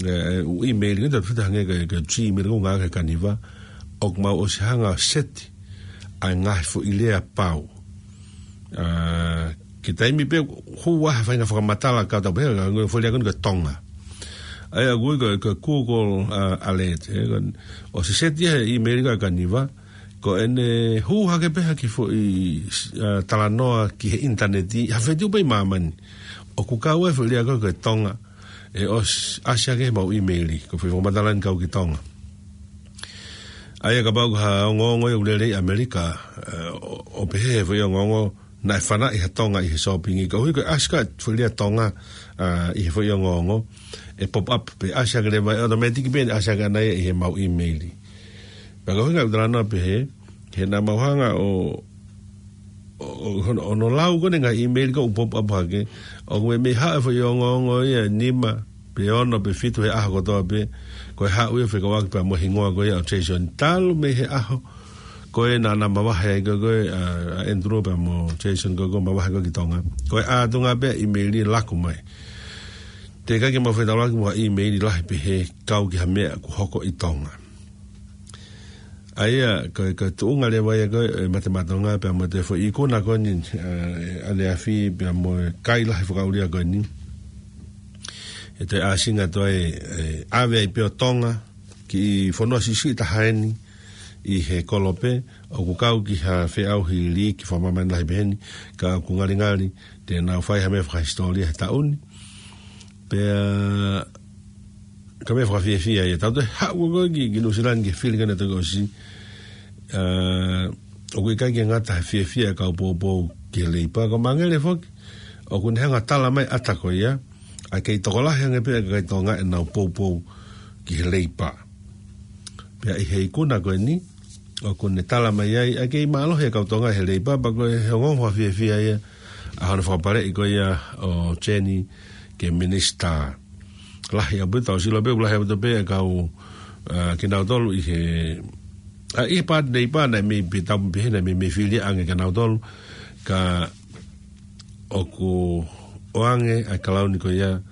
E, e, ʻū ʻīmeili ko ē, tau fitu hangē ko e, ko e Gmail ko ē ʻoku ngāueʻaki he kaniva. ʻOku mau ʻosi hanga ʻo seti ʻa e ngaahi foʻi lea pau. ʻA, ki he taimi pē hū ai ha faʻahinga fakamatala ka tau pehē, ngaahi foʻi lea ko eni ko e Tonga. ʻA ia ʻoku ui ko e, ko e Google, ʻa, Alert, ē, ko e, ʻosi seti he ʻīmeili ko ē ʻa e kaniva, ko ʻene hū hake pē ha kiʻi foʻi, ʻa, talanoa ki he ʻinitaneti, ha feituʻu pē ʻi māmani. ʻOku kau ai e foʻi lea ko ē ko e Tonga, ʻe ʻos-, ʻasi hake he mau ʻīmeili, ko e foʻi fakamatala eni kau ki Tonga. ʻA ia kapau ko ha ongoongo ia ʻoku lele ʻi ʻAmelika, ʻe, ʻo, ʻo pehē he foʻi ongoongo naʻe fanaʻi ha Tonga ʻi he shopping, koeʻuhi ko e ʻasi ko ē e foʻi lea Tonga, ʻa, ʻi he foʻi ongoongo, ʻe pop up pē ʻasi hake leva, ʻe automatic pē ʻene ʻasi hake ʻana ia ʻi he mau ʻīmeili. Pea ko e ʻuhinga ʻoku talanoa pehē, he naʻa mau hanga ʻo, ʻo, ʻo, hono, hono lau ko ē ʻene ngaahi ʻīmeili ko ē ʻoku pop up hake, ʻoku meimei haʻu e foʻi ongoongo ia ʻe nima, pe ono, pe fitu he ʻaho kotoa pē, ko e haʻu ia fekauʻaki pea mo e hingoa ko ia ʻo Jason. Talu mei he ʻaho ko ē naʻa na mavahe ai ko ē, ko ē, ʻa, ʻa Andrew pea mo Jason ko ē, ko ē mavahe ko ē ki Tonga. Ko e ʻatunga pē ʻīmeili laku mai. Teʻeki ke mau fetaulaki mo ha ʻīmeili lahi pehē kau ki ha meʻa kuo hoko ʻi Tonga. ʻA ia, ko e, ko e tuʻunga leva ia ko ē, e Mate Maʻa Tonga, pea mo e foʻi ikuna ko eni, ʻa, ʻaneafi, pea mo e kai lahi fakaʻulia ko eni. ʻE toe ʻāsinga toe, ʻe, ʻave ai pē ʻo Tonga, kiʻi fonua siʻisiʻi taha eni, ʻi he kolope, ʻoku kau ki ha feʻauhi liiki fakamāmani lahi pehē ni, ka ʻoku ngalingali, te nau fai ha meʻa fakahisitōlia he taʻu ni. Pea, ka meʻa fakafiefia ia, tau toe haʻu ko ē ki, ki Nuʻusila ni ki he fili ko ē naʻe toki ʻosi. ʻA, ʻoku ʻikai ke ngata he fiefia e kau poupou ki he Leipa, ko Mangele foki, ʻoku ne hanga ʻo tala mai ʻata ko ia, ʻa e kei tokolahi ange pē ʻa e kakai Tonga ʻenau poupou ki he Leipa. Pea ʻi he ikuna ko eni, ʻoku ne tala mai ai, ʻa e kei mālohi e kau Tonga he Leipa, pea ko e ongoongo fakafiefia ia, ʻa hono fakapaleʻi ko ia ʻo Jenny ke minisitā. Lahi ʻaupito, tau sio pē, lahi ʻaupito pē e kau, ʻa, kinautolu ʻi he, ʻa e paati nei pā naʻe mei pē tau pē he naʻe mei mei fili ange kia nautolu, ka ʻoku ʻoange ʻa e kalauni ko ia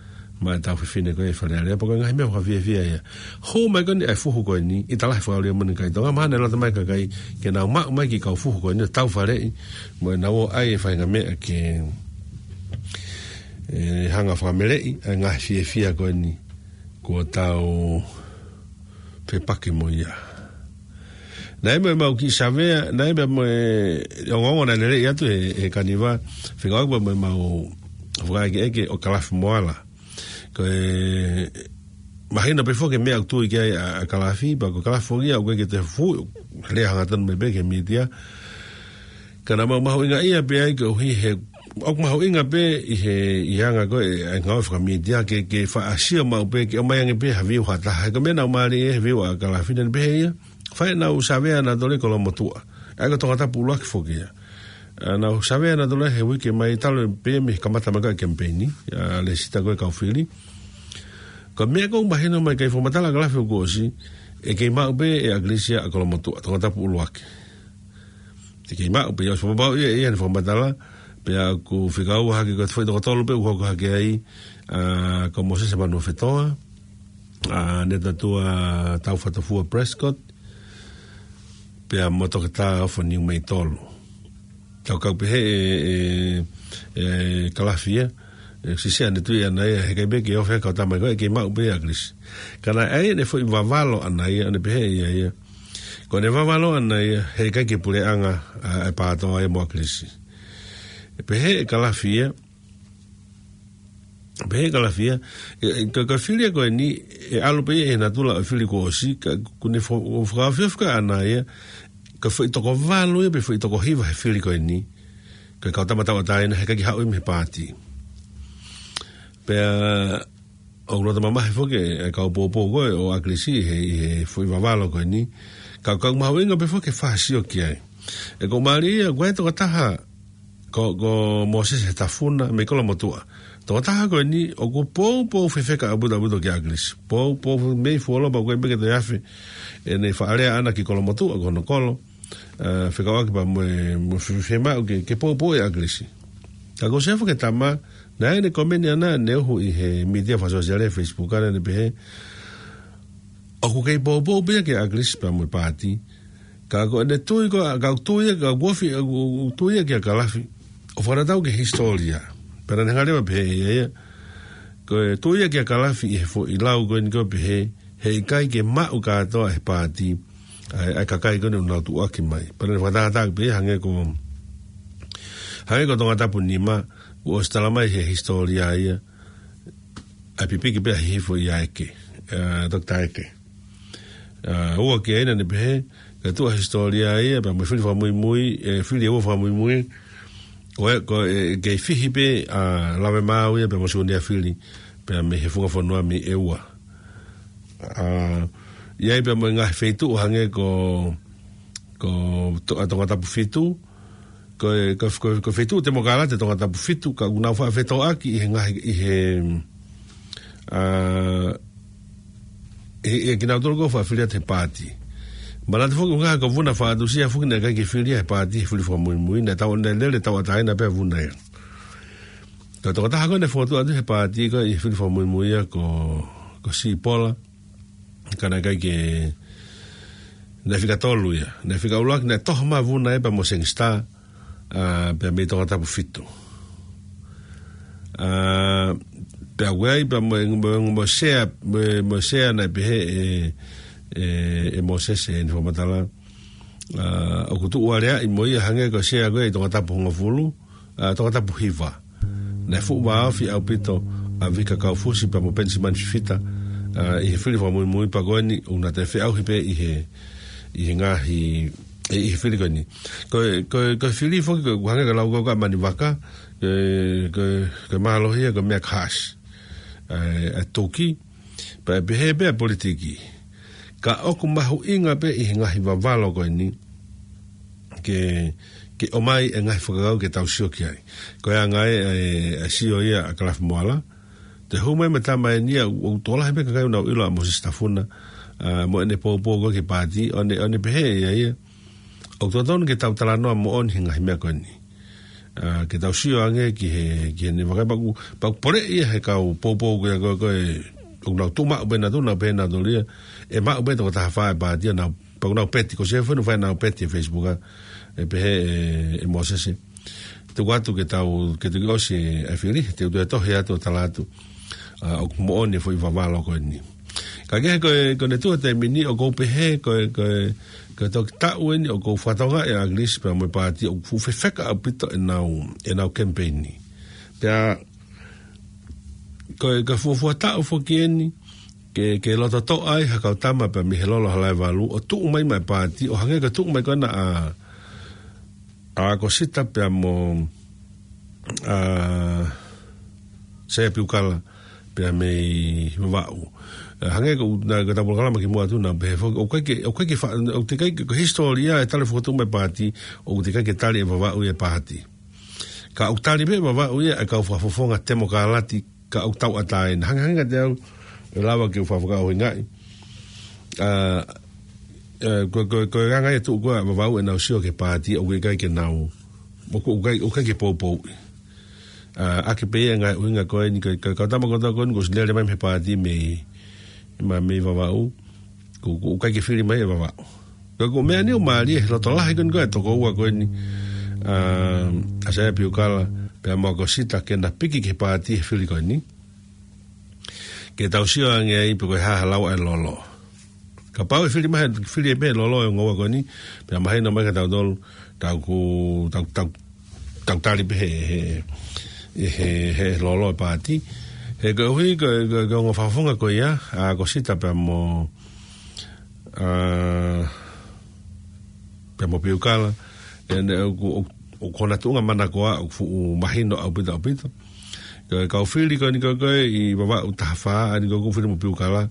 maʻa e tau fefine ko ia ʻi Fale Alea, pea ko e ngaahi meʻa fakafiefia ia. Hū mai ko eni ʻa e fuhu ko eni, ʻi talahi fakaʻuli ʻa moni kai Tonga, mahalo ʻe loto mai kakai ke nau maʻu mai ki he kau fuhu ko eni, tau faleʻi, mo ʻenau ō ʻai e faʻahinga meʻa ke, ʻe, hanga fakameleʻi ʻa e ngaahi fiefia ko eni kuo tau fepaki mo ia. Naʻe ʻi ai mo ʻemau kiʻi savea, naʻe ʻi ai mo e ongoongo naʻe lele atu he, he kaniva, fekauʻaki mo ʻemau fakaʻekeʻeke ʻo Kalafi Moala. Ko e mahino pē foki e meʻa ʻoku tui ki ai ʻa, ʻa Kalafi, pea ko Kalafi foki ia ʻoku ʻikai ke toe fuʻu lea hangatonu mai pē ki he mītia. Ka naʻa mau mahuʻingaʻia pē ai koeʻuhi he, ʻoku mahuʻinga pē ʻi he, ʻi he anga ko ē ʻa e ngāue fakamītia ke, ke faʻa sio maʻu pē, ke ʻomai ange pē ha viu ha taha. He ko e meʻa naʻe mālie he viu ʻa Kalafi naʻa ne pehē ia, fai ʻenau savea nautolu ʻi Kolomotuʻa. ʻA ia ko Tongatapu ʻuluaki foki ia. ʻA, nau savea nautolu he uike mai talu pē mei he kamata mai ko ē e kemipeini, ʻa Lēsita ko e kau fili. Ko e meʻa ʻoku mahino mai ki he fakamatala ʻa Kalafi kuo ʻosi, ʻe kei maʻu pē ʻe ʻAkilisi ʻa Kolomotuʻa, Tongatapu ʻuluaki. ʻE kei maʻu pē ia, ʻosi fakapapauʻi ʻe ia ʻene fakamatala, pea ʻoku fekauʻaki ko e foʻi toko tolu pē ʻoku hoko hake ai, ʻa, ko Mōsese Manuofetoa, ʻa, Netatua Taufatofua Prescott, pea mo Toketā Ofo Niumeitolu. Tau kau pehē ʻe, ʻe, ʻe Kalafi ia, ʻe sisi ʻene tui ʻana ia, heʻikai pē ke ofi ʻa e kau tama ko ē, ʻe kei maʻu pē ʻe ʻAkilisi. Ka naʻe ʻi ai ʻene foʻi vavalo ʻana ia, ʻene pehē ʻe ia ia. Ko ʻene vavalo ʻana ia, heʻikai ke puleʻanga ʻa, ʻa e PATOA ia mo ʻAkilisi. ʻE pehē ʻe Kalafi ia, pehē ʻe Kalafi ia, ʻe, ʻe, ka, ka fili ia ko eni, ʻe ʻalu pē ia ʻi he natula ʻo e fili kuo ʻosi, ka ʻoku ne fo-, ʻo fakaofiofi ʻana ia, ko e foʻi toko valu ia, pe foʻi toko hiva he fili ko eni, ko e kau tama tauʻatāina, heʻikai ke haʻu ia mei he paati. Pea, ʻoku loto mamahi foki e kau poupou ko ē ʻo ʻAkilisi he, he foʻi vavalo ko eni. Ka, ka ʻoku mahuʻinga pē foki ke fai ha sio ki ai. ʻE ko e mālie ia, ko e tokotaha ko, ko Mōsese Tafuna mei Kolomotuʻa. Tokotaha ko eni, ʻoku poupou fefeka ʻaupito ʻaupito kia ʻAkilisi. Poupou mei fuoloa pea ʻoku ʻikai pē ke toe afe ʻene faʻa lea ʻana ki Kolomotuʻa ko hono kolo. ʻA, fekauʻaki pea mo e, mo e fe-, fiemaʻu ke, ke poupou ʻe ʻAkilisi. Ka ko Sefo ke tama, naʻe ʻi ai ʻene komeni ʻana, ʻene uhu ʻi he mītia fakasōsiale, Facebook ʻana, ʻene pehē, ʻoku kei poupou pē ia kia ʻAkilisi pea mo e paati. Ka ko ʻene tui ko, ka ʻoku tui ia, ka ʻoku ofi, ʻoku, ʻoku tui ia kia Kalafi. ʻO fakatatau ki he hisitōlia. Pea naʻa ne hanga leva pehē ia ia. Ko e tui ia kia Kalafi ʻi he foʻi lau ko eni ko e pehē, heʻikai ke maʻu kātoa ʻe he paati ʻa e, ʻa e kakai ko eni ʻoku nau tuʻuaki mai. Pea naʻa ne fakatātā pē ia hangē ko, hangē ko Tongatapu nima, kuo ʻosi tala mai he hisitōlia ia, ʻa e pipiki pē ʻa Hihifo ʻia Eke, ʻa, Toketā Eke. ʻA, ua ki ai naʻa ne pehē, ka tuʻu ʻa e hisitōlia ia, pea mo e fili fakamuimui, ʻe, fili ʻe ua fakamuimui, ko e, ko e, kei fihi pē, ʻa, Lavemaau ia, pea mo Siunia Fili, pea mei he funga fonua mei ʻEua. ʻA, ʻi ai pea mo e ngaahi feituʻu hangē ko, ko To-, ʻa, Tongatapu fitu, ko e, ko, ko, ko e feituʻu temokalati Tongatapu fitu, ka ʻoku nau faʻa fetōʻaki ʻi he ngaahi, ʻi he, ʻa, ʻi, ʻi kinautolu ko e faʻa fili atu he paati. Manatu foki ʻuhinga ko Vuna Faʻatusia foki naʻe ʻikai ke fili ia he paati he fili fakamuimui, naʻe tau, naʻe lele tauʻatāina pē ʻa Vuna ia. Ka tokotaha ko ē naʻe fokotuʻu atu he paati ko ē ʻi he fili fakamuimui ia ko, ko Sipola, ka naʻe ʻikai ke, naʻe fika tolu ia. Naʻe fika ʻuluaki, naʻe toho mai ʻa Vuna ia pea mo Sengista, ʻa, pea mei Tongatapu fitu. ʻA, pea ʻoku ʻi ai pea mo, mo, mo e sea, mo, mo e sea naʻe pehē ʻe, ʻe, ʻe Mōsese ʻene fakamatala. ʻA, ʻoku tuʻu aleaʻi mo ia hangē ko e sea ko ē ʻi Tongatapu hongofulu, ʻa, Tongatapu hiva. Naʻe fuʻu vāofi ʻaupito ʻa Vika Kaufusi pea mo Penisimani Fifita, ʻa, ʻi he fili fakamuimui pea ko eni ʻoku na toe feʻauhi pē ʻi he, ʻi he ngaahi, ʻi he fili ko eni. Ko e, ko e, ko e fili foki ko e hangē ko e lau ko ē ʻa Manivaka, ko e, ko e, ko e mālohi ia ko e meʻa kahaʻasi. ʻA, ʻa e toki, pea ʻe pehē pē ʻa e politiki. Ka ʻoku mahuʻinga pē ʻi he ngaahi vavalo ko eni, ke, ke ʻomai e ngaahi fakakaukau ke tau sio ki ai. Ko e anga ē, ʻa e, ʻa e sio ia ʻa Kalafi Moala. Toe hū mai mo e tama eni ia, ʻoku tokolahi pē kakai ʻoku nau ʻilo ʻa Mōsese Tafuna, ʻa, mo ʻene poupou ko ē ki he paati, ʻo ne, ʻo ne pehē ʻe ia ia, ʻoku totonu ke tau talanoa moʻoni he ngaahi meʻa ko eni. ʻA, ke tau sio ange ki he, ki heʻene vakai, pea ʻoku, pea ʻoku poleʻi ia he kau poupou ko ia ko ē, ko ē, ʻoku nau tuʻu maʻu pē nautolu, nau pehē nautolu ia, ʻe maʻu pē toko taha fā ʻe he paati, ʻa nau, pea ʻoku nau peti, ko Sefu ʻoku fai ʻenau peti he Facebook, ʻa, ʻe pehē ʻe, ʻe Mōsese. Tuku atu ke tau, ke tuku ʻosi ʻa e fili, te u toe tohi atu ʻo tala atu, ʻa, ʻoku moʻoni e foʻi vavalo ko eni. Ka kehe ko e, ko ʻene tuʻu he taimi ni ʻoku ou pehē, ko e, ko e, ko e toki taʻu eni ʻoku ou fakatokangaʻi ʻa ʻAkilisi pea mo e paati ʻoku fuʻu fefeka ʻaupito ʻenau, ʻenau kemipeini. Pea, ko e, ko e fuofua taʻu foki eni, ke, ke loto toʻa ai ha kau tama pea mei he Lolo Halaevalu, ʻo tuʻu mai maʻa e paati, ʻo hangē ko e tuʻu mai ko ena ʻa, ʻa ʻAkosita pea mo, ʻa, Saia Piukala pea mei Vavaʻu. ʻA, hangē ko ʻena, ko ʻetau polokalama kimuʻa atu naʻa ku pehē foki, ʻoku ʻikai ke, ʻoku ʻikai ke fa-, ʻoku teʻeki ai ke, ko e hisitōlia e tali e fokotuʻu mai e paati, ʻoku teʻeki ai ke tali ʻe Vavaʻu ia e paati. Ka ʻoku tali pē ʻe Vavaʻu ia ʻa e kau fakafofonga temokalati ka ʻoku tauʻatāina. Hangē, hangē kiate au, ʻe lava ke u fakafakaʻuhingaʻi. ʻA, ʻa, ko, ko, ko e anga ia e tuʻu ko ē ʻa Vavaʻu ʻenau sio ki he paati, ʻoku ʻikai ke nau, ʻoku, ʻoku ʻikai, ʻoku ʻikai ke poupouʻi. ʻA, ʻaki pē ia e ngaahi ʻuhinga ko eni, ko e, ko e kau tama kotoa ko eni kuo ʻosi lele mai mei he paati mei, mei, mei Vavaʻu, ʻoku, ʻoku ʻikai ke fili mai ʻe Vavaʻu. Ko e, ko e meʻa ni ʻoku mālie he loto lahi ko eni ko ē ʻa e toko ua ko eni, ʻa, ʻa Saia Piukala pea mo ʻAkosita ke na piki ki he paati he fili ko eni. Ke tau sio ange ai pe ko e hā ha lau ʻa e Lolo. Kapau ʻe fili mai, fili pē ʻe he Lolo e ongo ua ko eni, pea mahino mai kiate kitautolu, tau ku, tau, tau, tau tali pē he, he, he, he Lolo e paati. He koeʻuhi ko e, ko e, ko e ongo fakafofonga ko ia, ʻa ʻAkosita pea mo, ʻa, pea mo Piukala, ʻa ē ʻoku, ʻoku, ʻoku ʻi hona tuʻunga manakoa, ʻoku fuʻu mahino ʻaupito, ʻaupito. Ko e kau fili ko eni ko ē ʻi Vavaʻu taha fā, ʻa eni ko ē ʻoku fili mo Piukala,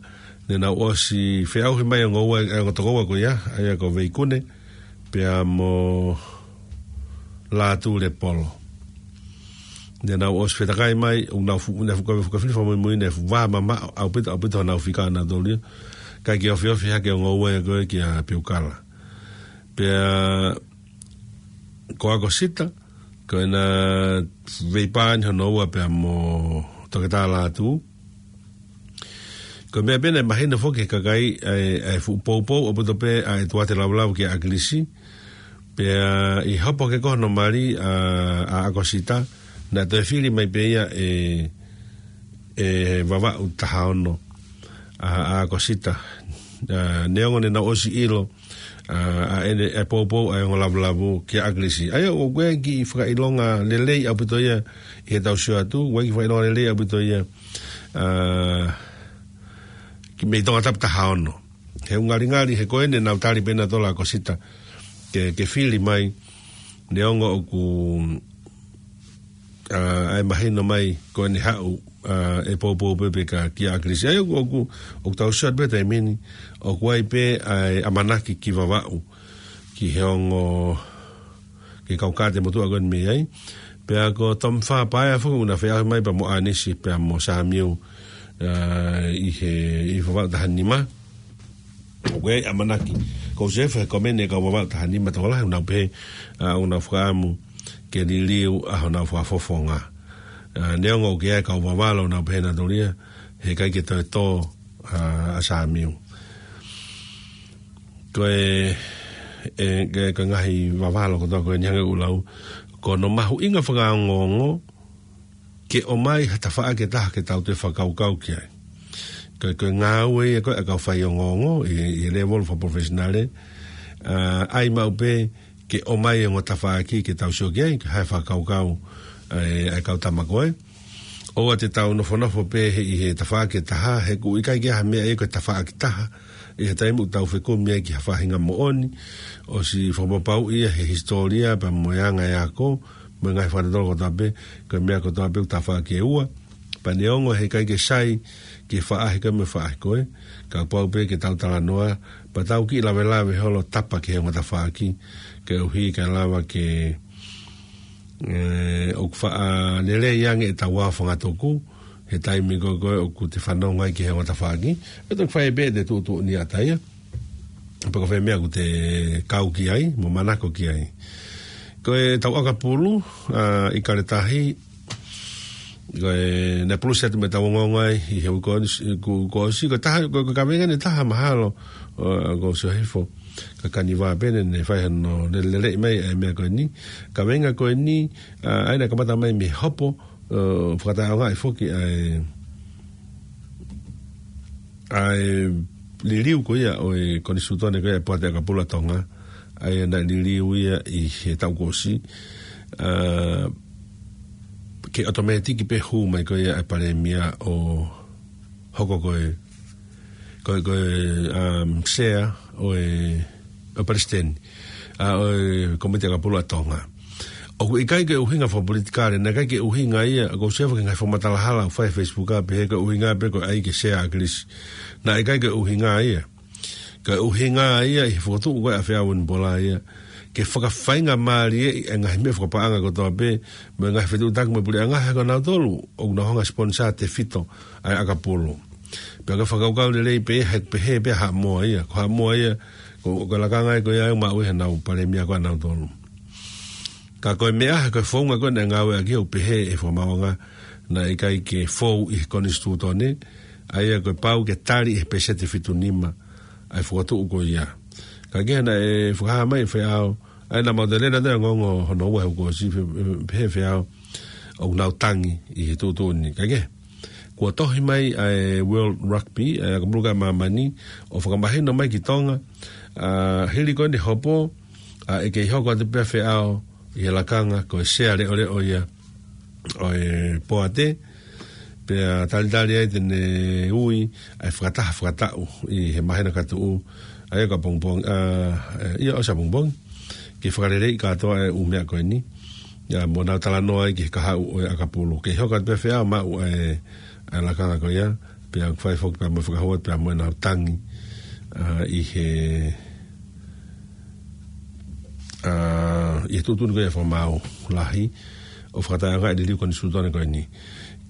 ne nau ʻosi feʻauhi mai e ongo ua, e ongo toko ua ko ia, ʻa ia ko Veikune, pea mo Lātū Lepolo. Ne nau ʻosi fetakai mai, ʻoku nau fuʻu, ne fuʻu kau, fuʻu kau fili fakamuimui, ne fuʻu vā mamaʻo ʻaupito, ʻaupito honau fika nautolu ia. ʻIkai ke ofiofi hake e ongo ua ia ko ē kia Piukala. Pea ko ʻAkosita, ko ʻena veipā eni hono ua pea mo Toketā Lātū. Ko e meʻa pē naʻe mahino foki ki he kakai, ʻa e, ʻa e fuʻu poupou ʻaupito pē ʻa e tuate lavelave kia ʻAkilisi. Pea ʻi he hopo hake ko ē hono mali ʻa, ʻa ʻAkosita, naʻe toe fili mai pē ia ʻe, ʻe Vavaʻu taha ono, ʻa, ʻa ʻAkosita. ʻA, neongo ne nau ʻosi ʻilo, ʻa, ʻa ʻene, ʻa e poupou ʻa e ongo lavelave kia ʻAkilisi. ʻA ia, ʻoku ʻi ai e kiʻi fakaʻilonga lelei ʻaupito ia ʻi heʻetau sio atu, ʻoku ʻi ai e kiʻi fakaʻilonga lelei ʻaupito ia, ʻa, ki mei Tongatapu taha ono. He ʻoku ngalingali, he ko eni naʻa nau tali pē ʻe nautolu ʻa ʻAkosita ke, ke fili mai, neongo ʻoku, ʻa, ʻa e mahino mai ko ʻene haʻu, ʻa, ʻe poupou pē pē kia ʻAkilisi. ʻA ia ʻoku, ʻoku, ʻoku tau sio atu pē he taimi ni, ʻoku ʻi ai pē ʻa e ʻamanaki ki Vavaʻu, ki he ongo, ki he kau kātaki motuʻa ko eni mei ai. Pea ko Tomifa Paea foki ʻoku na feʻauhi mai pea mo ʻAnisi pea mo Samiu, ʻa, ʻi he, ʻi Vavaʻu taha nima. ʻOku ʻi ai e ʻamanaki. Ko Sefu he komeni e kau Vavaʻu taha nima tokolahi ʻoku nau pehē, ʻa, ʻoku nau fakaʻamu ke liliu ʻa honau fakafofonga. ʻA, neongo ʻoku ʻi ai e kau Vavaʻu ʻoku nau pehē nautolu ia, he ʻikai ke toe tō, ʻa, ʻa Samiu. Ko e, e, ke, ko e ngaahi vavalo kotoa ko eni hangē ko ʻeku lau, ko hono mahuʻinga fakaongoongo ke ʻomai ha tafaʻaki ʻe taha ke tau toe fakakaukau ki ai. Ko e, ko e ngāue ia ko ē ʻa e kau faiongoongo ʻi, ʻi he lēvolo fakapalofesinale, ʻa, ʻai maʻu pē ke ʻomai e ongo tafaʻaki ke tau sio ki ai, ke ʻai e fakakaukau ʻa e, ʻa e kau tama ko ē. ʻOua te tau nofonofo pē he, ʻi he tafaʻaki ʻe taha, he ʻoku ʻikai ke ʻi ai ha meʻa ia ko e tafaʻaki taha ʻi he taimi ʻoku tau fekumi ai ki ha faʻahinga moʻoni, ʻosi fakapapauʻi ia he hisitōlia pea mo e anga e ako, mo e ngaahi fakatotolo kotoa pē, ko e meʻa kotoa pē ʻoku tafaʻaki ʻe ua. Pea neongo he ʻikai ke sai ki he faʻahi ko ē mo e faʻahi ko ē, kapau pē ke tau talanoa, pea tau kiʻi lavelave holo tapa ki he ongo tafaʻaki, koeʻuhi kae lava ke, ʻe, ʻoku faʻa lelei ange ʻetau ao fangatuku, he taimi ko ē ʻoku te fanongo ai ki he ongo tafaʻaki, ʻe toki fai pē ʻete tuʻutuʻuni ʻataʻatā ia. Pea ko e fē meʻa ʻoku te kau ki ai, mo manako ki ai. Ko ʻetau ʻakapulu, ʻa, ʻIkale Tahi, ko e naʻe pulusi atu mei heʻetau ongoongo ai ʻi he uike kuo ʻosi, ko e taha, ko e, ko e kaveinga ʻe taha mahalo, ʻo, ʻoku ou sio hifo, ka Kaniva pē naʻá ne fai hano lele, lele mai ʻa e meʻa ko eni. Kaveinga ko eni, ʻa, ʻa ia naʻe kamata mai mei he hopo, ʻo, fakataʻeʻaongaʻi foki ʻa e, ʻa e liliu ko ia ʻo e konisitūtone ko ia ʻa e Poate ʻAkapulu ʻa Tonga, ʻa ia naʻe liliu ia ʻi he taʻu kuo ʻosi, ʻa, ke ʻotomētiki pē hū mai ko ia ʻa e palēmia ʻo hoko ko e, ko e, ko e, um, sea ʻo e, ʻo e palesiteni, ʻa, ʻo e Kōmiti ʻAkapulu ʻa Tonga. ʻOku ʻikai ke ʻuhinga fakapolitikale, naʻe ʻikai ke ʻuhinga ia, ʻoku ou sio hifo ki he ngaahi fakamatala hala ʻoku fai he Facebook ʻa pehē ko e ʻuhinga pē ko e ʻai ke sea ʻa ʻAkilisi. Naʻe ʻikai ke ʻuhinga ia. Ko e ʻuhinga ia ʻi he fokotuʻu ko ē ʻa Feau Vunipola ia, ke fakafaingamālieʻi e ngaahi meʻa fakapaʻanga kotoa pē, mo e ngaahi fetuʻutaki mo e puleʻanga he ko nautolu ʻoku nau hanga sponsor tefito ʻa e ʻakapulu. Pea ko e fakakaukau lelei pē, he pehē pē ʻa Haʻamoa ia, ko Haʻamoa ia, ko, ko e lakanga ia ko ia ʻoku maʻu ʻe heʻenau palēmia ko ē ʻanautolu. Ka ko e meʻa, ko e founga ko ē naʻe ngāueʻaki ʻo pehē ʻe he fakamaauʻanga naʻe ʻikai ke fou ʻi he konisitūtone, ʻa ia ko e pau ke tali ʻe he pēseti fitu nima ʻa e fokotuʻu ko ia. Ka ko e naʻe fakahā mai ʻe Feau, ʻa ia naʻa mau toe lele atu ʻa e ongoongo hono ua he uike kuo ʻosi, pehē ʻe Feau ʻoku nau tangi ʻi he tuʻutuʻuni. Ka ko e, kuo tohi mai ʻa e World Rugby, ʻa e ʻakapulu ko ē ʻa māmani, ʻo fakamahino mai ki Tonga, ʻa, hili ko eni e hopo, ʻa, ʻe kei hoko atu pē ʻa Feau ʻi he lakanga ko e sea leʻoleʻo ia ʻo e Poate, pea talitali ai te ne ui ʻa e fakataha fakataʻu ʻi he māhina ka tuʻu, ʻa ia ko ʻapongipongi, ʻa, ʻe, ʻio, ʻosi ʻapongipongi, ke fakaleleiʻi kātoa e ʻū meʻa ko eni. ʻIa, mo nau talanoa ai ki he kahaʻu ʻo e ʻakapulu. Kei hoko atu pē ʻa Feau ʻo maʻu ʻa e, ʻa e lakanga ko ia, pea ʻoku fai foki pea mo e fakahua, pea mo ʻenau tangi, ʻa, ʻi he, ʻa, ʻi he tuʻutuʻuni ko ia fakamaau lahi, ʻo fakataʻeʻaongaʻi e liliu konisitūtone ko eni.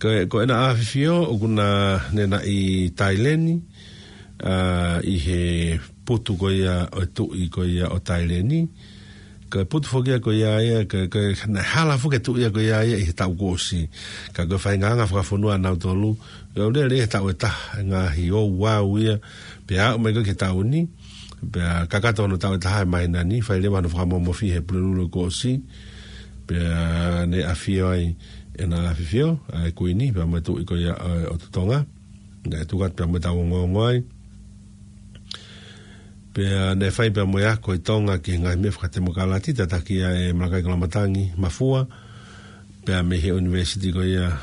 Ko, ko ʻena ʻAfifio, ʻokú na, ne na ʻi Taileni, ʻa, ʻi he putu ko ia ʻo e tuʻi ko ia ʻo Taileni. Ko e putu foki ia ko ia ia, ko, ko, naʻe hala foki e tuʻi ia ko ia ia ʻi he taʻu kuo ʻosi. Ka ko e faʻahinga anga fakafonua ʻanautolu, ʻe ʻoua lele he taʻu ʻe taha, ngaahi ouau ia, pea aʻu mai ko ē ki he taʻu ni, pea kakato hono taʻu ʻe taha ʻi he māhina ni, fai leva hono fakamomofi he Pulelulu kuo ʻosi, pea ne ʻafio ai ʻena ʻAfifio, ʻa e Kuini, pea mo e tuʻi ko ia ʻo, ʻo Tonga, naʻe tuku atu pea mo ʻetau ongoongo ai. Pea ne fai pea mo e ako ʻi Tonga ki he ngaahi meʻa fakatemokalati, tataki ʻe Malakai Koloamatangi Mafua, pea mei he ʻunivēsiti ko ia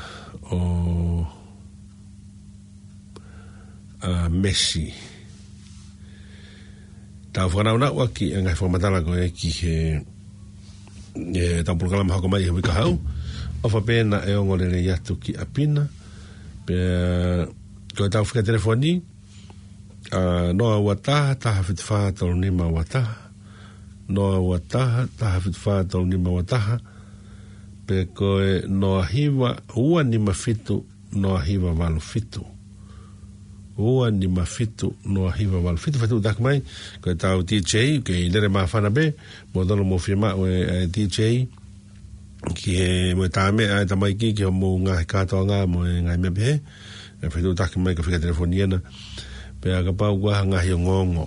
ʻo, ʻa, Massey. Tau fakanaunau ʻaki e ngaahi fakamatala ko ē ki he, ʻetau polokalama hoko mai he uike kahaʻu. ʻOfa pē naʻe ongo lelei atu ki ʻapi na. Pea ko ʻetau fika telefoni, ʻa, noa ua taha, taha fitu fā, tolu nima ua taha. Noa ua taha, taha fitu fā, tolu nima ua taha. Pe ko e noa hiva, ua nima fitu, noa hiva valu fitu. Ua nima fitu, noa hiva valu fitu, fetuʻutaki mai. Ko ʻetau D J, kei lele māfana pē, mou tonu mou fiemaʻu e, e D J ki he, mo e tā meʻa ʻa e tamaiki ki hoʻomou ngaahi kātoanga mo e ngaahi meʻa pehē. ʻE fetuʻutaki mai ka fika telefoni ena. Pea kapau ʻoku ʻi ai ha ngaahi ongoongo,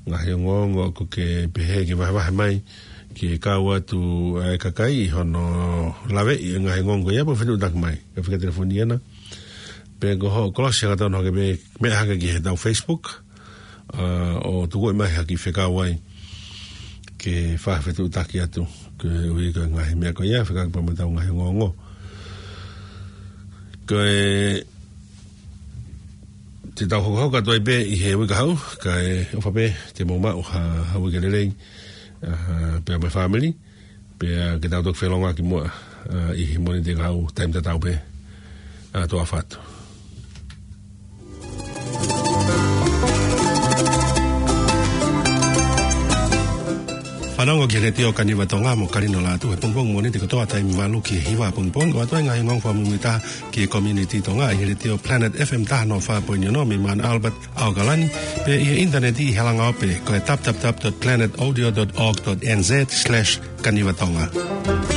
ngaahi ongoongo ʻoku ke pehē ke vahevahe mai, ke kau atu ʻa e kakai ʻi hono laveʻi e ngaahi ongoongo ia, pea fetuʻutaki mai ka fika telefoni ena. Pe ko hoʻo kolosi hangatonu hake pē, meʻa hake ki heʻetau Facebook, ʻa, ʻo tuku mai ha kiʻi fekau ai ke fai ha fetuʻutaki atu, koeʻuhi ko e ngaahi meʻa ko ia, fekauʻaki pea mo ʻetau ngaahi ongoongo. Ko e, te tau hokohoko atu ai pē ʻi he uike kahaʻu, kae ʻofa pē te mou maʻu ha, ha uike lelei, ʻa, pea mo e fāmili, pea ke tau toki felongoaki muʻa, ʻa, ʻi he Mōnite kahaʻu taimi tatau pē. ʻA, tuʻa ʻofa atu. Fanongo ki he Letiō Kaniva Tonga mo Kalino Lātū he pongipongi Mōnite kotoa taimi valu ki he hiva pongipongi, ʻo ʻoatu e ngaahi ongoongo fakamuimuitaha ki he community Tonga ʻi he Letiō Planet F M taha noa fā poini ono mei Mount Albert, ʻAokalani, pea ʻi he ʻinitaneti ʻi he langaope ko e w w w dot planet audio dot org dot n z slash kaniva tonga.